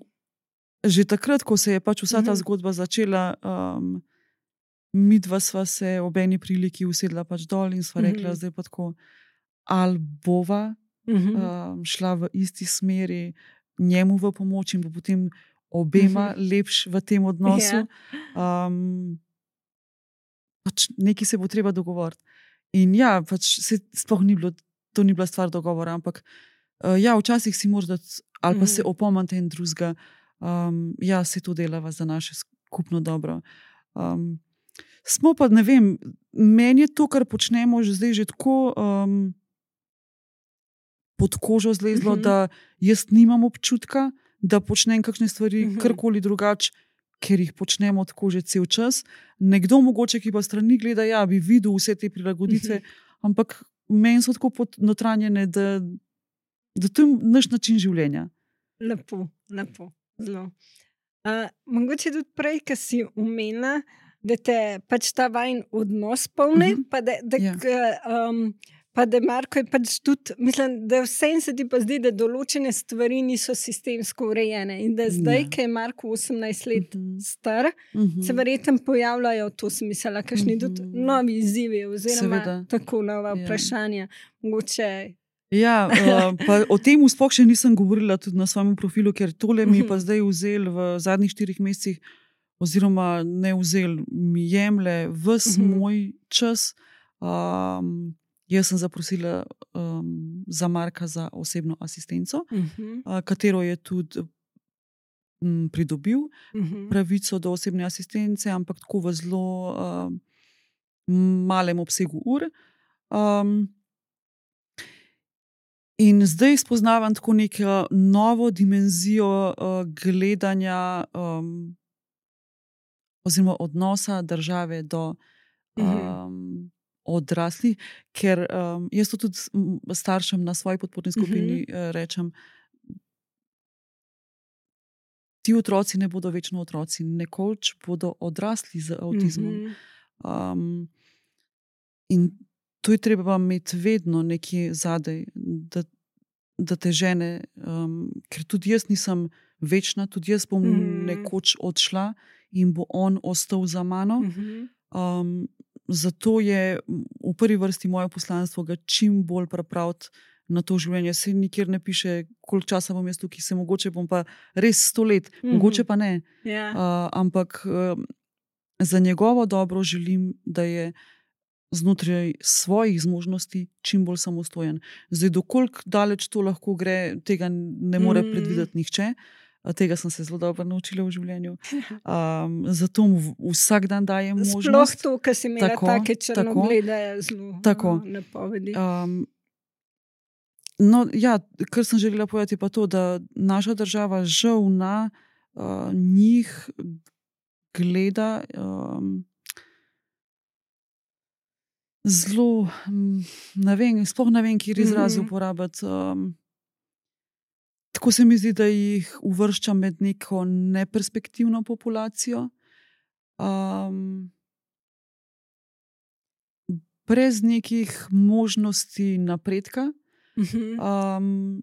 že takrat, ko se je pač vsa ta Mhm. zgodba začela, um, mi dva sva se ob eni priliki usedla pač dol in sva Mhm. rekla, zdaj pa tako, ali bova Mhm. um, šla v isti smeri, njemu v pomoč in bo potem obema Mhm. lepš v tem odnosu. Um, pač nekaj se bo treba dogovoriti. In ja, pač se sploh ni bilo, to ni bila stvar dogovora, ampak uh, ja, včasih si moraš dati, ali pa se Mhm. opomnite en drugega, um, ja, se to delava za naše skupno dobro. Um, smo pa, ne vem, meni je to, kar počnemo že zdaj, že tako um, pod kožo zlezlo, Mhm. da jaz nimam občutka, da počnem kakšne stvari, Mhm. karkoli drugače, ker jih počnemo tako že cel čas. Nekdo, mogoče, ki pa strani gleda, ja, bi videl vse te prilagoditve, ampak meni so tako podnotranjene, da, da to je naš način življenja. Lepo, lepo, zelo. Uh, mogoče tudi prej, ki si omenila, da te pač ta vajen odnos polni, Mhm. pa da, da, Ja. k, um, pa da Marko je pač tudi, mislim, da vsem se ti pa zdi, da določene stvari niso sistemsko urejene in da zdaj, Ja. ki je Marko osemnajst let Mhm. star, Mhm. se verjetno pojavljajo, to sem mislila, kakšni tudi Mhm. novi izzivi oziroma Seveda. tako nova Ja. vprašanja. Mogoče. Ja, uh, pa o tem sploh še nisem govorila tudi na svojem profilu, ker tole mi je pa zdaj vzel v zadnjih štirih mesecih, oziroma ne vzel, mi jemlje ves Mhm. moj čas. Um, jaz sem zaprosila um, za Marka za osebno asistenco, Mhm. uh, katero je tudi um, pridobil Mhm. pravico do osebne asistence, ampak tako v zelo um, malem obsegu ur. Um, In zdaj spoznavam tako neko novo dimenzijo uh, gledanja um, oziroma odnosa države do um, odraslih, ker um, jaz to tudi m, staršem na svoji podporni skupini uh, rečem, ti otroci ne bodo večno otroci, nekoč bodo odrasli z avtizmom. Um, in to je treba imeti vedno nekje zadaj, da, da te žene, um, ker tudi jaz nisem večna, tudi jaz bom mm. nekoč odšla in bo on ostal za mano. Mhm. Um, zato je v prvi vrsti moje poslanstvo ga čim bolj pripraviti na to življenje. Se nikjer ne piše, koliko časa bom jaz tukaj, se mogoče bom pa res sto let, Mhm. mogoče pa ne. Ja. Uh, ampak uh, za njegovo dobro želim, da je znotraj svojih zmožnosti čim bolj samostojen. Zdaj, dokoliko daleč to lahko gre, tega ne more Mm. predvideti nihče. A tega sem se zelo dobro naučila v življenju. Um, zato mu v- vsak dan dajem Sploh možnost. to, kar si imela Tako, take tako. črnoglede, je zelo Tako. uh, napovedi. Um, no, ja, kar sem želela povedati, je pa to, da naša država žal na uh, njih gleda um, zelo, mm, ne vem, sploh ne vem, kjer izraz Mhm. uporabiti. Um, tako se mi zdi, da jih uvršča med neko neperspektivno populacijo. Um, brez nekih možnosti napredka. Mhm. Um,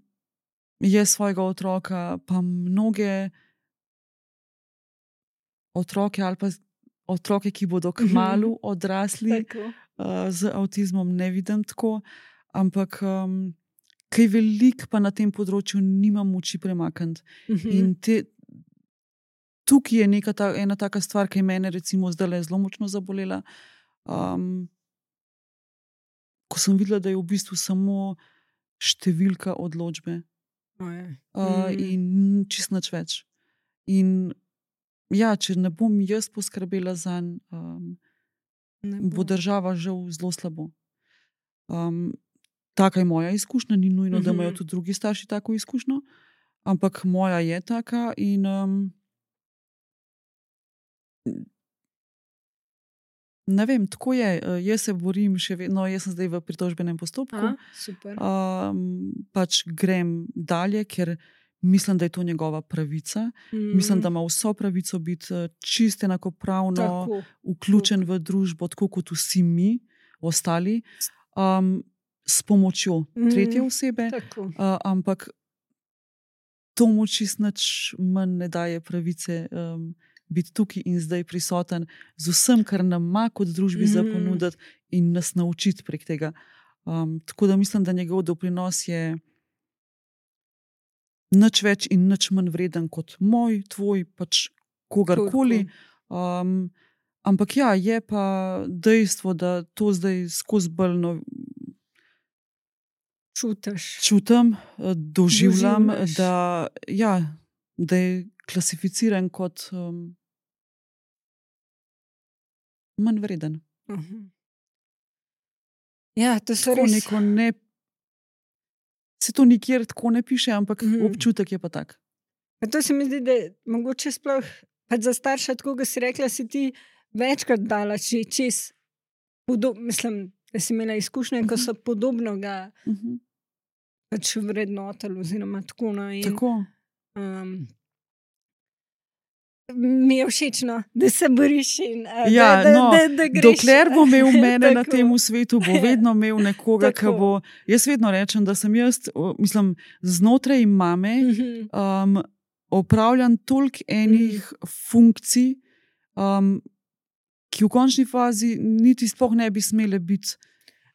je svojega otroka, pa mnoge otroke ali pa z- otroke, ki bodo kmalu odrasli Tako. uh, z avtizmom, ne vidim tako, ampak um, kaj velik pa na tem področju nimam moči premakniti. Mhm. In te, tukaj je neka ta, ena taka stvar, ki je mene recimo zdaj zelo močno zabolela. Um, ko sem videla, da je v bistvu samo številka odločbe. Oj. Uh, Mhm. in čist nič več. In ja, če ne bom jaz poskrbela zanj, um, Ne bo bo. država žal zelo slabo. Um, taka je moja izkušnja, ni nujno, da imajo Mhm. tudi drugi starši tako izkušnjo, ampak moja je taka in um, ne vem, tako je. Uh, Jaz se borim še vedno, jaz sem zdaj v pritožbenem postopku. A, super. Um, pač grem dalje, ker mislim, da je to njegova pravica. Mislim, da ima vso pravico biti eh, čisto enakopravno Tako. vključen v družbo, tako kot vsi mi, ostali, um, s pomočjo Mhm. tretje osebe, Tako. uh, ampak to mu čisto nič manj ne daje pravice um, biti tukaj in zdaj prisoten z vsem, kar nam ima kot družbi za Mhm. ponuditi in nas naučiti prek tega. Um, tako da mislim, da njegov doprinos je nič več in nič manj vreden kot moj, tvoj, pač kogarkoli. Um, ampak ja, je pa dejstvo, da to zdaj skozi bolj no, Čutiš. čutim, eh, doživljam, Doživljaš. da, ja, da je klasificiran kot um, manj vreden. Mhm. Ja, to so Tako res. neko ne. Se to nikjer tako ne piše, ampak Mhm. občutek je pa tak. Pa to se mi zdi, da je mogoče sploh pač za starša, tako kot si rekla, si ti večkrat dala če, čez, podob, mislim, da si imela izkušnje, ko Mhm. so podobno ga Mhm. pač vrednotili, oziroma tako. No, in, Tako. um, mi je všeč, no, da se boriš in a, Ja, da, da, no, da, da greš. dokler bo imel mene na Tako. tem svetu, bo vedno imel nekoga, ki Tako. bo. Jaz vedno rečem, da sem jaz, o, mislim, znotraj mame Mhm. um, opravljam toliko enih funkcij, um, ki v končni fazi niti sploh ne bi smele biti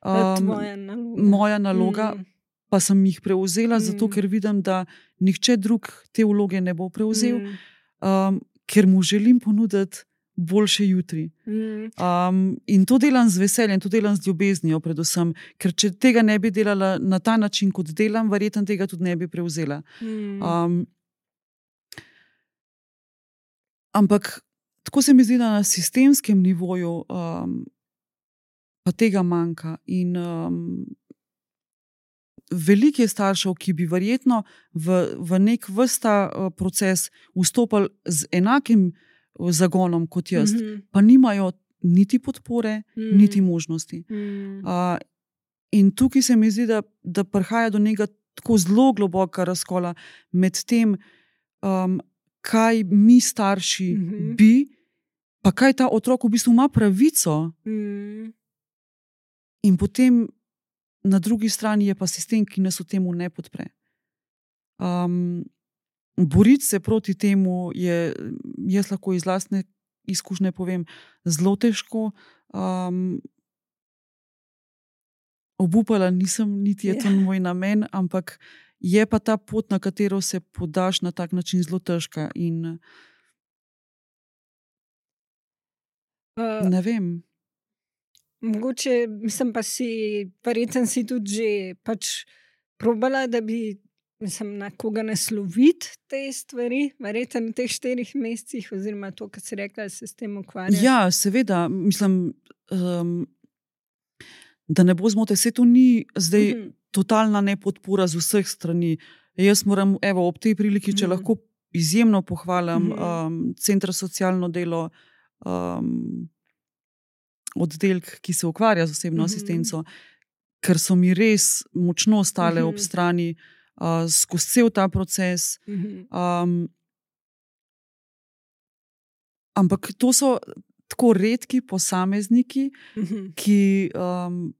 To je um, tvoja naloga. moja naloga, Mm. pa sem jih prevzela, zato Mm. ker vidim, da nihče drug te vloge ne bo prevzel, Mm. um, ker mu želim ponuditi boljše jutri. Mm. Um, in to delam z veseljem, to delam z ljubeznijo, predvsem, ker če tega ne bi delala na ta način, kot delam, verjetno tega tudi ne bi prevzela. Mm. Um, ampak tako se mi zdi, da na sistemskem nivoju um, pa tega manjka. In um, veliko je staršev, ki bi verjetno v, v nek vrsta uh, proces vstopili z enakim uh, zagonom kot jaz, Mhm. pa nimajo niti podpore, Mm. niti možnosti. Mm. Uh, in tukaj se mi zdi, da, da prihaja do nekega tako zelo globokega razkola med tem, um, kaj mi starši Mhm. bi, pa kaj ta otrok v bistvu ima pravico Mm. In potem na drugi strani je pa sistem, ki nas v temu ne podpre. Um, boriti se proti temu je, jaz lahko iz lastne izkušnje povem, zelo težko. Um, obupala nisem, niti je to Ja. moj namen, ampak je pa ta pot, na katero se podaš na tak način, zelo težka. In Uh, ne vem. mogoče, mislim pa si, verjetno si tudi že pač probala, da bi, mislim, na koga nasloviti te stvari, verjetno v teh štirih mesecih, oziroma to, kar si rekla, da se s tem ukvarjaš. Ja, seveda, mislim, um, da ne bo zmote, vse to ni zdaj Mhm. totalna nepodpora z vseh strani. Jaz moram, evo, ob tej priliki, če Mhm. lahko izjemno pohvalim Mhm. um, Center za socialno delo, um, oddelek, ki se ukvarja z osebno Mhm. asistenco, ker so mi res močno stale Mhm. ob strani uh, skozi cel ta proces. Mhm. Um, ampak to so tako redki posamezniki, Mhm. ki, um,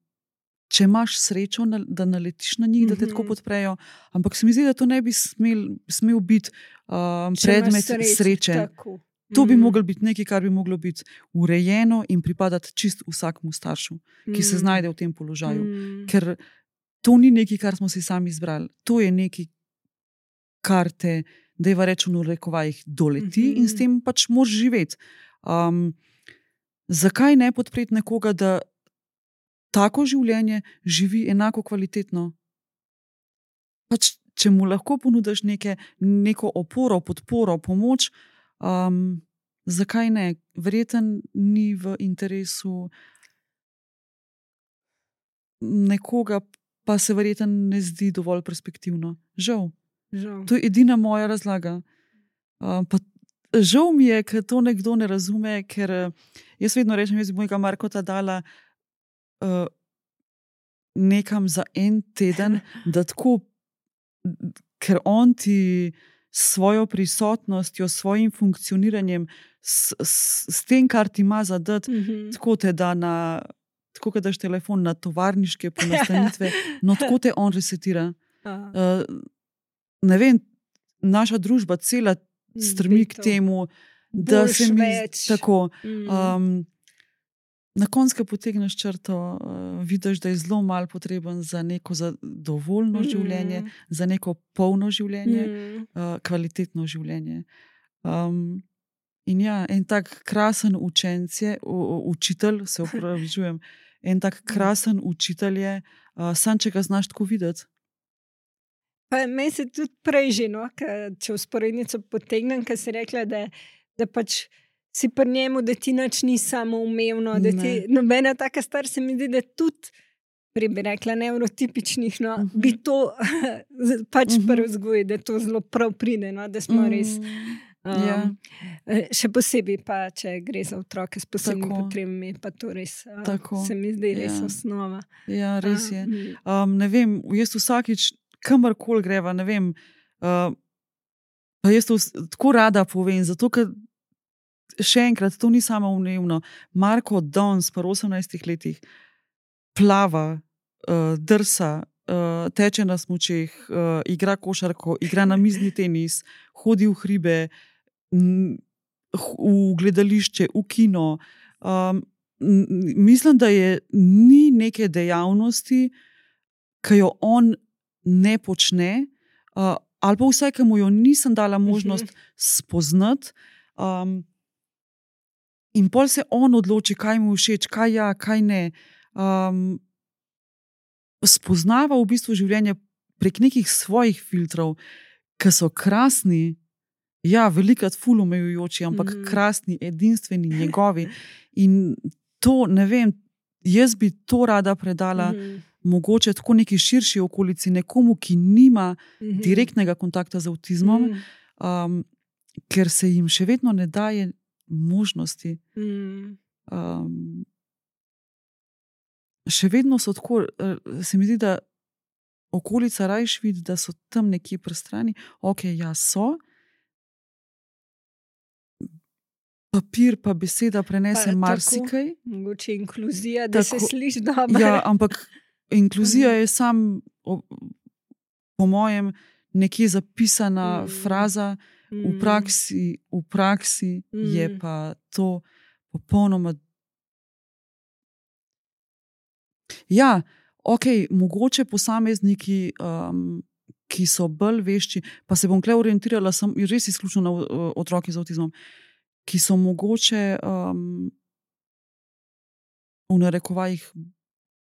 če imaš srečo, na, da naletiš na njih, da te tako Mhm. podprejo, ampak se mi zdi, da to ne bi smel, smel biti um, Če imaš predmet srečo, sreče. tako. To bi Mhm. moglo biti nekaj, kar bi moglo biti urejeno in pripadati čist vsakmu staršu, ki se Mhm. znajde v tem položaju. Mhm. Ker to ni nekaj, kar smo si sami izbrali. To je nekaj, kar te, dajva reči v narekovajih, doleti Mhm. in s tem pač moraš živeti. Um, zakaj ne podpreti nekoga, da tako življenje živi enako kvalitetno? Pač, če mu lahko ponudiš neke, neko oporo, podporo, pomoč, um, zakaj ne? Verjetno ni v interesu nekoga, pa se verjetno ne zdi dovolj perspektivno. Žal. Žal. To je edina moja razlaga. Um, pa žal mi je, ker to nekdo ne razume, ker uh, jaz vedno rečem, jaz bi mojega Markota dala uh, nekam za en teden, da tako, ker on ti s svojo prisotnostjo, s svojim funkcioniranjem, s, s, s tem, kar ti ima zadati, Mhm. tako te da na, tako kot daš telefon na tovarniške ponastanitve, no tako te on resetira. Aha. Uh, ne vem, naša družba cela strmi k Bi to. temu, da Boljš, se mi več. tako. Mhm. Um, na koncu potegneš črto, uh, vidiš, da je zelo malo potreben za neko zadovoljno Mhm. življenje, za neko polno življenje, Mhm. uh, kvalitetno življenje. Um, in ja, en tak krasen učenec je, u, u, učitelj, se opravičujem, en tak krasen učitelj je, uh, sam če ga znaš tako videti. Pa meni se tudi prej že, no, ka, če vzporednico potegnem, ker si rekla, da, da pač si pri njemu, da ti nič ni samoumevno, da ti Ne. nobena taka stvar, se mi zdi, da tudi, prej bi rekla, nevrotipičnih, no, Mhm. bi to pač Mhm. pri vzgoji, da to zelo prav pride, no, da smo res. Mm, Um, ja. eh, Še posebej pa, če gre za otroke s posebnimi Tako. potrebami, pa to res, uh, Tako, se mi zdi res ja. osnova. Ja, res je. Um, Um, ne vem, jaz vsakič, kamorkoli greva, ne vem, uh, pa jaz to vs- tako rada povem, zato ker še enkrat, to ni samoumevno. Marko Dons, pa osemnajstih letih, plava, uh, drsa, uh, teče na smučeh, uh, igra košarko, igra namizni tenis, hodi v hribe, m, h- v gledališče, v kino. Um, m, m, mislim, da je ni neke dejavnosti, ki jo on ne počne, uh, ali pa vsaj, ki mu jo nisem dala možnost spoznati. Um, in pol se on odloči, kaj mu je všeč, kaj ja, kaj ne. Um, spoznava v bistvu življenje prek nekih svojih filtrov, ki so krasni, ja, velikrat ful omejujoči, ampak Mhm. krasni, edinstveni, njegovi. In to, ne vem, jaz bi to rada predala. Mhm. Mogoče tako neki širši okolici, nekomu, ki nima Mhm. direktnega kontakta z avtizmom, Mhm. um, ker se jim še vedno ne daje možnosti. Mhm. Um, še vedno so tako, eh, se mi zdi, da okolica rajš vidi, da so tam nekje pri strani, ok, ja, so. papir pa beseda prenese Pa marsikaj. tako, mogoče inkluzija, da se Tako- sliši dobro. Ja, ampak inkluzija je sam, o- po mojem, nekje zapisana Mm. fraza, v Mm. praksi, v praksi je Mm. pa to popolnoma. Ja, ok, mogoče posamezniki, um, ki so bolj vešči, pa se bom kle orientirala sem, res izključno na uh, otroke z avtizmom, ki so mogoče um, v narekovajih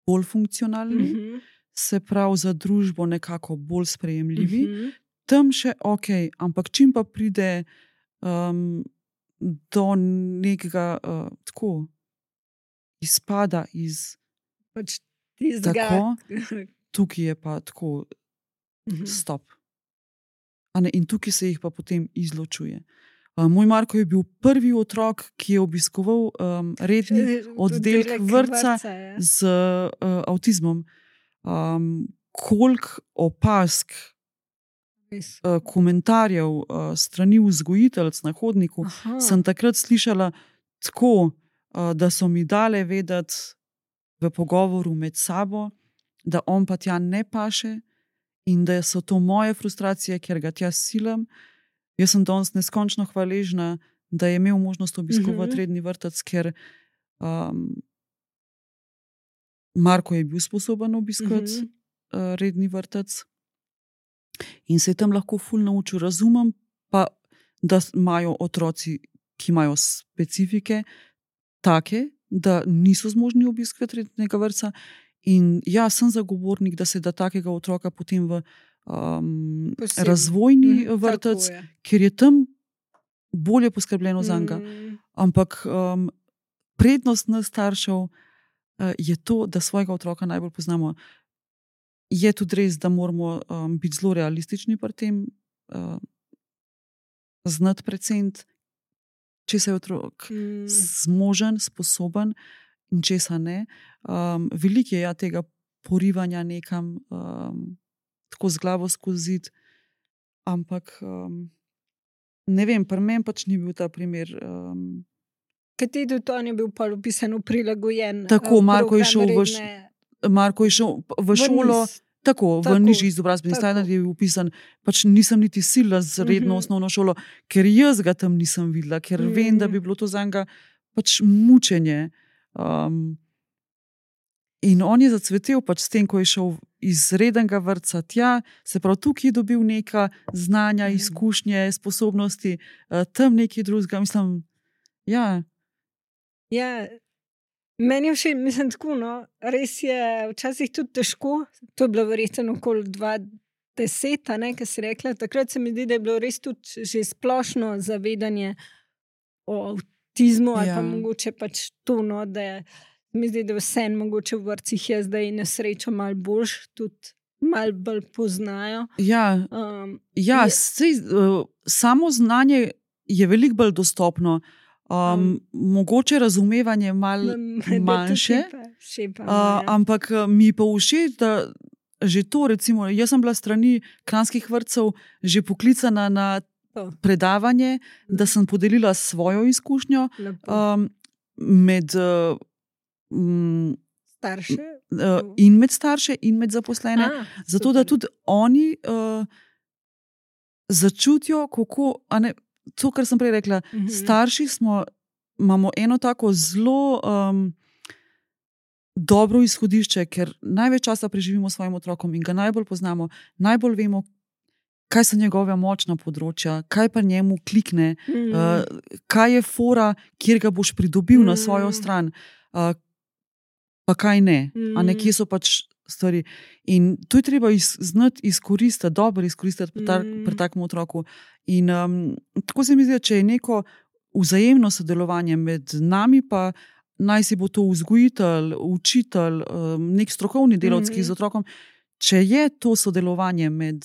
bolj funkcionalni, Mhm. se pravi za družbo nekako bolj sprejemljivi. Mhm. Tam še ok, ampak čim pa pride um, do nekega uh, tako izpada iz Pač tistega. tako, tukaj je pa tako Mhm. stop. A ne, in tukaj se jih pa potem izločuje. Uh, moj Marko je bil prvi otrok, ki je obiskoval um, redni oddelek vrtca ja. z uh, avtizmom. Um, koliko opask, Res. uh, komentarjev uh, strani vzgojiteljic na hodniku Aha. sem takrat slišala tako, uh, da so mi dale vedeti v pogovoru med sabo, da on pa tja ne paše in da so to moje frustracije, ker ga tja silam. Jaz sem danes neskončno hvaležna, da je imel možnost obiskovati Mhm. redni vrtec, ker um, Marko je bil sposoben obiskati Mhm. uh, redni vrtec in se je tam lahko ful naučil. Razumem pa, da imajo otroci, ki imajo specifike, take, da niso zmožni obiskati rednega vrtca. In ja, sem zagovornik, da se da takega otroka potem v um, Posebno. razvojni Mhm, vrtec, tako je. ker je tam bolje poskrbljeno za njega. Mm. Ampak um, prednost nas staršev uh, je to, da svojega otroka najbolj poznamo. Je tudi res, da moramo um, biti zelo realistični pri tem, uh, znati precent, če se je otrok Mm. zmožen, sposoben in česa ne. Um, veliko je ja, tega porivanja nekam, um, tako z glavo skozi zid, ampak um, ne vem, pri meni pač ni bil ta primer. Um, Kateri to je bil pa opisan, prilagojen? Tako, eh, Marko je program šel v š- redne- Marko je šel v šolo. niz. Tako, v Tako, nižji izobrazbeni tako. standard je bil upisan. Pač nisem niti sila z redno Mhm. osnovno šolo, ker jaz ga tam nisem videla, ker Mhm. vem, da bi bilo to za njega pač mučenje. Um, in on je zacvetel pač s tem, ko je šel iz rednega vrtca tja, se pravi, tukaj je dobil neka znanja, Mhm. izkušnje, sposobnosti, uh, tam nekaj drugega. Mislim, ja, Ja, meni je všeč, mislim, tako. No, res je včasih tudi težko. To je bilo verjetno okoli dva deset, ki si rekla. Takrat se mi zdi, da je bilo res tudi že splošno zavedanje o avtizmu, ali Ja. pa mogoče pač to, no, da je, mi zdi, da vse mogoče v vrtcih je zdaj na srečo malo boljš, tudi malo bolj poznajo. ja, Um, ja Je- sej, uh, samo znanje je veliko bolj dostopno. Um, Um, mogoče razumevanje malo da manjše, tukaj pa šepamo, uh, ja. ampak uh, mi je pa všeč, da že to, recimo, jaz sem bila strani kranjskih vrtcev že poklicana na To. predavanje, da sem podelila svojo izkušnjo Lepo. um, med, uh, m, Starše. uh, in med starše in med zaposlene. A, Zato, da super. tudi oni uh, začutijo, kako, a ne, to, kar sem prej rekla, Mhm. starši smo, imamo eno tako zelo um, dobro izhodišče, ker največ časa preživimo s svojim otrokom in ga najbolj poznamo, najbolj vemo, kaj so njegove močna področja, kaj pa njemu klikne, Mhm. uh, kaj je fora, kjer ga boš pridobil na svojo Mm. stran, uh, pa kaj ne, a Mm. nekje so pač stvari. In to je treba iz, znati izkoristiti, dobro izkoristiti pri, ta, Mm. pri takem otroku. In um, tako se mi zdi, če je neko vzajemno sodelovanje med nami, pa naj si bo to vzgojitelj, učitelj, um, nek strokovni delavec, ki je z otrokom, če je to sodelovanje med,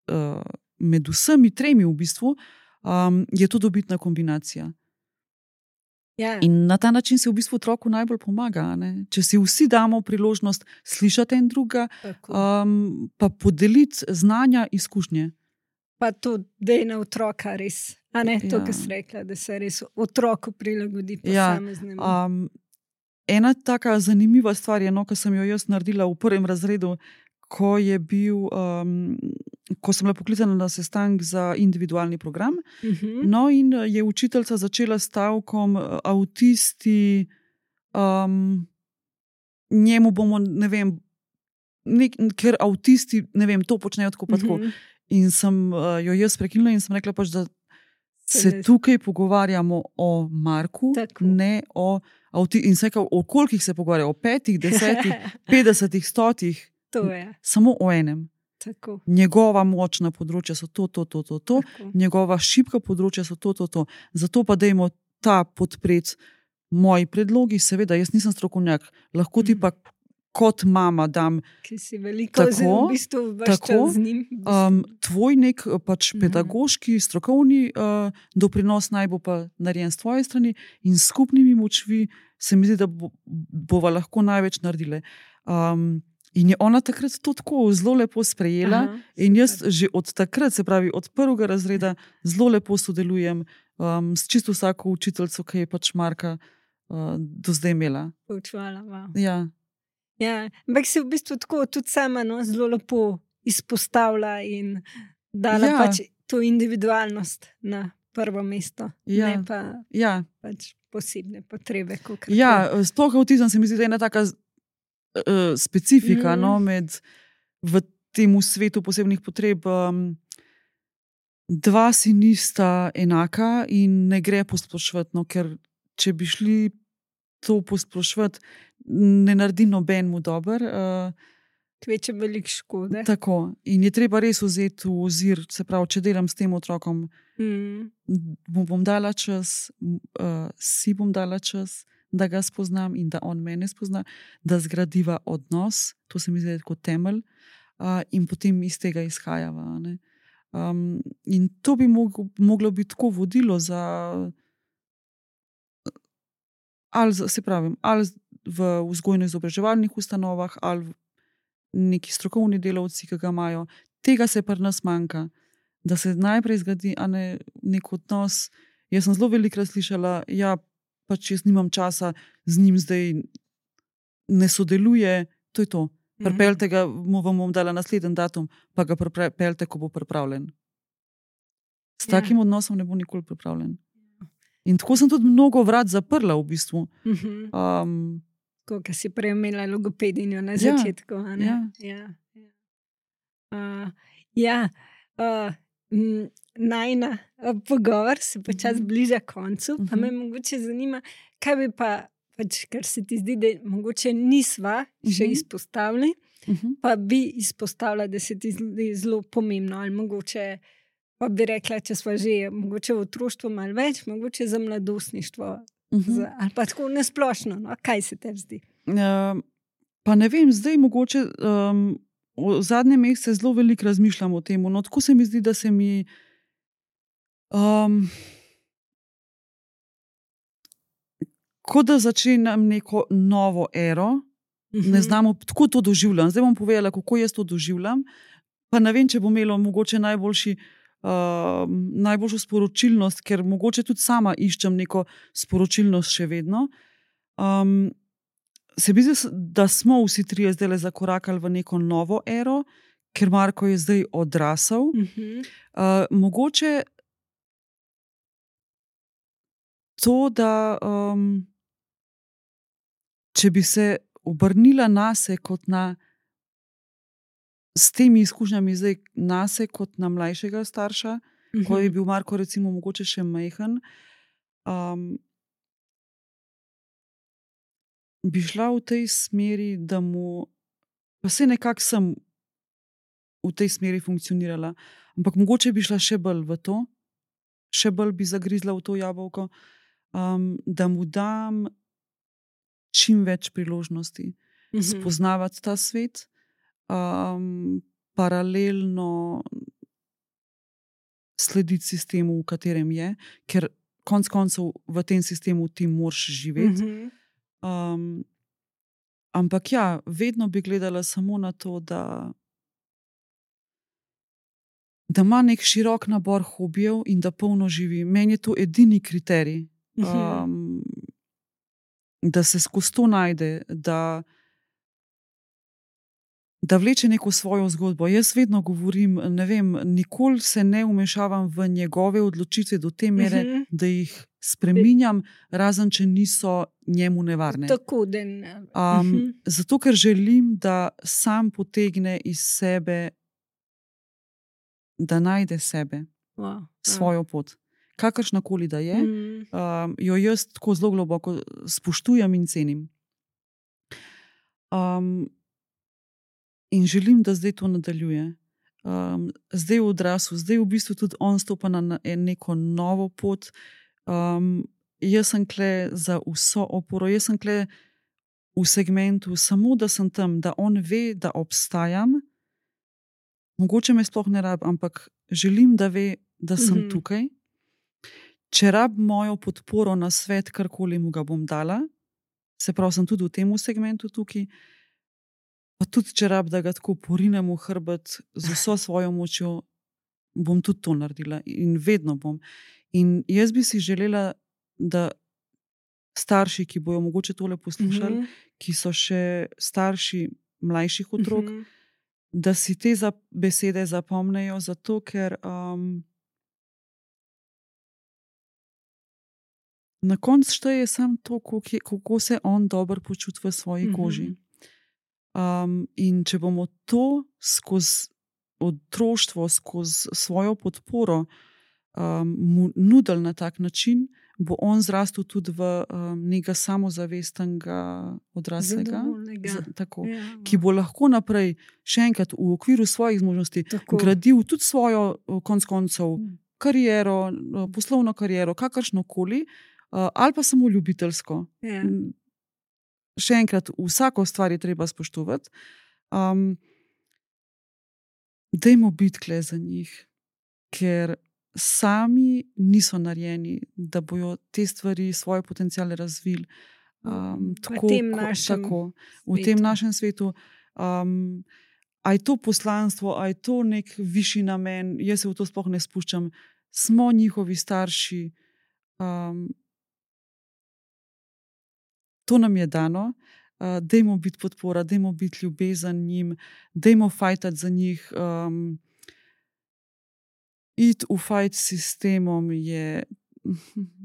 uh, med vsemi tremi, v bistvu, um, je to dobitna kombinacija. Ja. In na ta način se v bistvu otroku najbolj pomaga. a ne? Če si vsi damo priložnost slišati en drugega, Tako. um, pa podeliti znanja, izkušnje. Pa to, da je na otroka res A ne, to, Ja. kar si rekla, da se res otroku prilagodi Ja, posameznemu. um, ena taka zanimiva stvar je, no, ko sem jo jaz naredila v prvem razredu, ko je bil, um, ko sem bila poklicana na sestanek za individualni program. Mhm. No, in je učiteljica začela s stavkom uh, avtisti, um, njemu bomo, ne vem, nek, ker avtisti, ne vem, to počnejo tako pa tako. Mhm. In sem uh, jo jaz prekinila in sem rekla pač, da Se se ne- tukaj pogovarjamo o Marku, Tako. ne o avtistih. In sem rekla, o kolikih se pogovarjajo? O petih, desetih, petdesetih, stotih, To je, samo o enem. tako. Njegova močna področja so to, to, to, to, to. tako. Njegova šibka področja so to, to, to. Zato pa dajmo ta podpreti. Moji predlogi, seveda, jaz nisem strokovnjak, lahko ti Mhm. pa kot mama dam Ki si veliko Tako, z, v bistvu ves tako, čas z njim. v bistvu. um, tvoj nek uh, pač Mhm. pedagoški, strokovni uh, doprinos naj bo pa narejen s tvoje strani in s skupnimi močvi se mi zdi, da bo, bova lahko največ naredile. Um, in je ona takrat to tako zelo lepo sprejela. Aha, In jaz super. že od takrat, se pravi od prvega razreda, zelo lepo sodelujem um, s čisto vsako učiteljico, ki je pač Marka uh, do zdaj imela. Poučevala, wow. Ja, Ja, ampak si v bistvu tako tudi sama no, zelo lepo izpostavlja in dala Ja. pač to individualnost na prvo mesto, Ja. ne pa ja. pač posebne potrebe. kakor Ja, koli. sploh avtizem se mi zdi, da je ena taka uh, specifika Mhm. no, med, v tem svetu posebnih potreb. Um, dva si nista enaka in ne gre posploševati, no, ker če bi šli to posploševati, ne naredi nobenemu dober. Uh, Kveče veliko škode. tako. In je treba res vzeti v ozir, se pravi, če delam s tem otrokom, Mm. mu bom dala čas, m, uh, si bom dala čas, da ga spoznam in da on mene spozna, da zgradiva odnos, to se mi zdi kot temelj, uh, in potem iz tega izhajava. a ne. Um, in to bi moglo, moglo biti tako vodilo za, ali za, se pravi, ali v vzgojno-izobraževalnih ustanovah, ali v neki strokovni delavci, ki ga imajo. Tega se pri nas manjka. Da se najprej zgradi a ne, nek odnos. Jaz sem zelo velikokrat slišala, ja, pač jaz nimam časa z njim zdaj, ne sodeluje, to je to. Pripeljte ga, mu vam bom dala naslednji datum, pa ga pripeljte, ko bo pripravljen. S Ja. takim odnosom ne bo nikoli pripravljen. In tako sem tudi mnogo vrat zaprla v bistvu. Mhm. Um, Tako, ki si prej imela logopedinjo na Ja, začetku. a ne? ja. Ja, ja. Uh, ja uh, m, najna uh, pogovor se počasi Mhm. bliža koncu. Pa Mhm. me mogoče zanima, kaj bi pa, pač, kar se ti zdi, da mogoče nisva še Mhm. izpostavili, uh-huh. pa bi izpostavila, da se ti zdi zelo pomembno. Ali mogoče pa bi rekla, če smo že mogoče v otroštvu malo več, mogoče za mladostništvo. Uh-huh. Za, ali pa tako nesplošno, no? Kaj se tebi zdi? Uh, pa ne vem, zdaj mogoče um, v zadnjem mesecu zelo veliko razmišljam o tem. No, tako se mi zdi, da se mi um, kot da začenjam neko novo ero. Ne znamo, tako to doživljam. Zdaj bom povedala, kako jaz to doživljam. Pa ne vem, če bo imelo mogoče najboljši, uh, najboljšo sporočilnost, ker mogoče tudi sama iščem neko sporočilnost še vedno. Um, se mi zdi, da smo vsi trije zdaj zakorakali v neko novo ero, ker Marko je zdaj odrasel. Uh-huh. Uh, mogoče to, da um, če bi se obrnila nase kot na, s temi izkušnjami zdaj nase kot na mlajšega starša, Uh-huh. ko je bil Marko recimo mogoče še majhen, um, bi šla v tej smeri, da mu, pa se nekako sem v tej smeri funkcionirala, ampak mogoče bi šla še bolj v to, še bolj bi zagrizla v to jabolko, um, da mu dam čim več priložnosti Uh-huh. spoznavati ta svet, um, paralelno slediti sistemu, v katerem je, ker konec koncev v tem sistemu ti moraš živeti. Uh-huh. Um, ampak ja, vedno bi gledala samo na to, da, da ima nek širok nabor hobijev in da polno živi. Meni je to edini kriterij, um, da se skozi to najde, da, da vleče neko svojo zgodbo. Jaz vedno govorim, ne vem, nikoli se ne vmešavam v njegove odločitve do te mere, uh -huh. da jih spreminjam, razen če niso njemu nevarne. Tako, da ne. Um, uh -huh. Zato, ker želim, da sam potegne iz sebe, da najde sebe, wow. svojo pot. Kakršnakoli da je, mm. um, jo jaz tako zelo globoko spoštujem in cenim. Um, in želim, da zdaj to nadaljuje. Um, zdaj v odraslu, zdaj v bistvu tudi on stopa na neko novo pot. Um, jaz sem kle za vso oporo, jaz sem kle v segmentu, samo da sem tam, da on ve, da obstajam. Mogoče me sploh ne rab, ampak želim, da ve, da sem mm-hmm. tukaj. Če rab mojo podporo na svet, karkoli mu ga bom dala, se pravi, sem tudi v tem segmentu tukaj, pa tudi če rab, da ga tako porinem v hrbet z vso svojo močjo, bom tudi to naredila in vedno bom. In jaz bi si želela, da starši, ki bojo mogoče tole poslušali, mm-hmm. ki so še starši mlajših otrok, mm-hmm. da si te za besede zapomnejo, zato ker um, na koncu šteje samo to, kako se on dobro počuti v svoji mm-hmm. koži. Um, in če bomo to skozi otroštvo, skozi svojo podporo um, mu nudili na tak način, bo on zrastel tudi v um, nekega samozavestnega odraslega, z, tako, ja. ki bo lahko naprej, še enkrat, v okviru svojih zmožnosti tako. Gradil tudi svojo, konc koncev, kariero, poslovno kariero, kakršnokoli, uh, ali pa samo ljubiteljsko. Ja. Še enkrat, vsako stvar je treba spoštovati. Um, dajmo biti kle za njih, ker sami niso narejeni, da bojo te stvari, svoje potenciale razvili. Um, tako, v tem našem tako, v tem našem svetu. Um, a je to poslanstvo, a je to nek višji namen, jaz se v to sploh ne spuščam. Smo njihovi starši. Um, to nam je dano. Uh, dajmo biti podpora, dajmo biti ljubezen njim, dajmo fajtati za njih. Um, iti v fajt s sistemom je,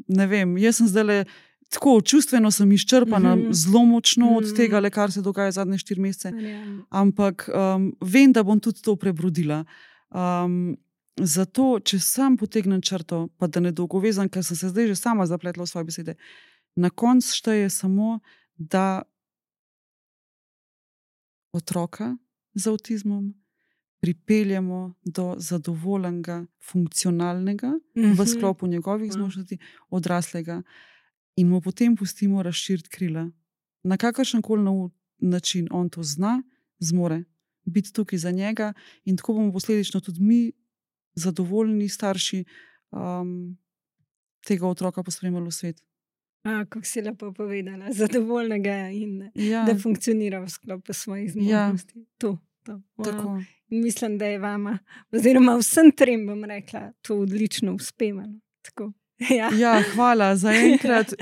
ne vem, jaz sem zdaj tako čustveno sem izčrpana, mm-hmm. zelo močno mm-hmm. od tega, le, kar se dogaja zadnje štiri mesece, mm-hmm. ampak um, vem, da bom tudi to prebrodila. Um, zato, če sam potegnem črto, pa da ne dolgovezam, ker sem se zdaj že sama zapletla v svoje besede, na koncu šteje samo, da otroka z avtizmom pripeljemo do zadovoljnega, funkcionalnega, mm-hmm. v sklopu njegovih zmožnosti, odraslega in mu potem pustimo razširiti krila. Na kakršen koli način on to zna, zmore biti tukaj za njega in tako bomo posledično tudi mi, zadovoljni starši, um, tega otroka pospremili v svet. A, kako si lepo povedala, zadovoljnega in ja. da funkcionira v sklopu svojih zmožnosti. Ja. To, to. Wow. Mislim, da je vama, oziroma vsem trem, bom rekla, to odlično uspevalo. Ja. ja, hvala. Za enkrat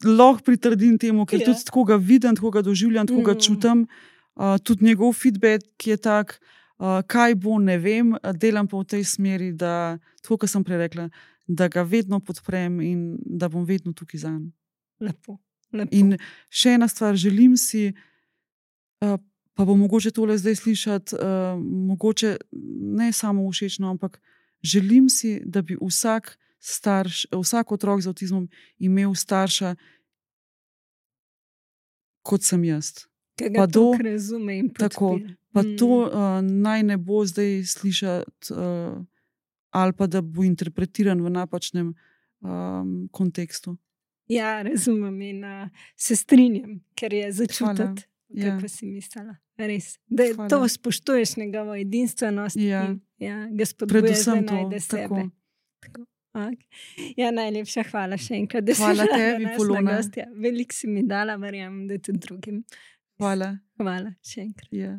lahko pritrdim temu, ker ja. tudi tako ga vidim, tako ga doživljam, tako mm. ga čutim. Uh, tudi njegov feedback je tak, uh, kaj bo, ne vem, delam pa v tej smeri, da, tako kot sem prej rekla, da ga vedno podprem in da bom vedno tukaj zanj. Lepo, lepo. In še ena stvar, želim si, uh, pa bo mogoče tole zdaj slišati, uh, mogoče ne samo všečno, ampak želim si, da bi vsak starš, vsak otrok z avtizmom imel starša, kot sem jaz. Ki ga tako razume in podpira. Pa mm. to uh, naj ne bo zdaj slišati, uh, ali pa da bo interpretiran v napačnem um, kontekstu. Ja, razumem in uh, se strinjam, ker je začutiti. Ja. Kako si mislila? Res. Da Hvala. To spoštuješ njegovo edinstvenost ja. in ja, ga spodbuješ, da najde sebe. Tako. Tako. Okay. Ja, najlepša hvala še enkrat, da hvala si tebi, Polona. Veliko si mi dala, verjamem, da tudi drugim. Hvala. Hvala še enkrat. Ja.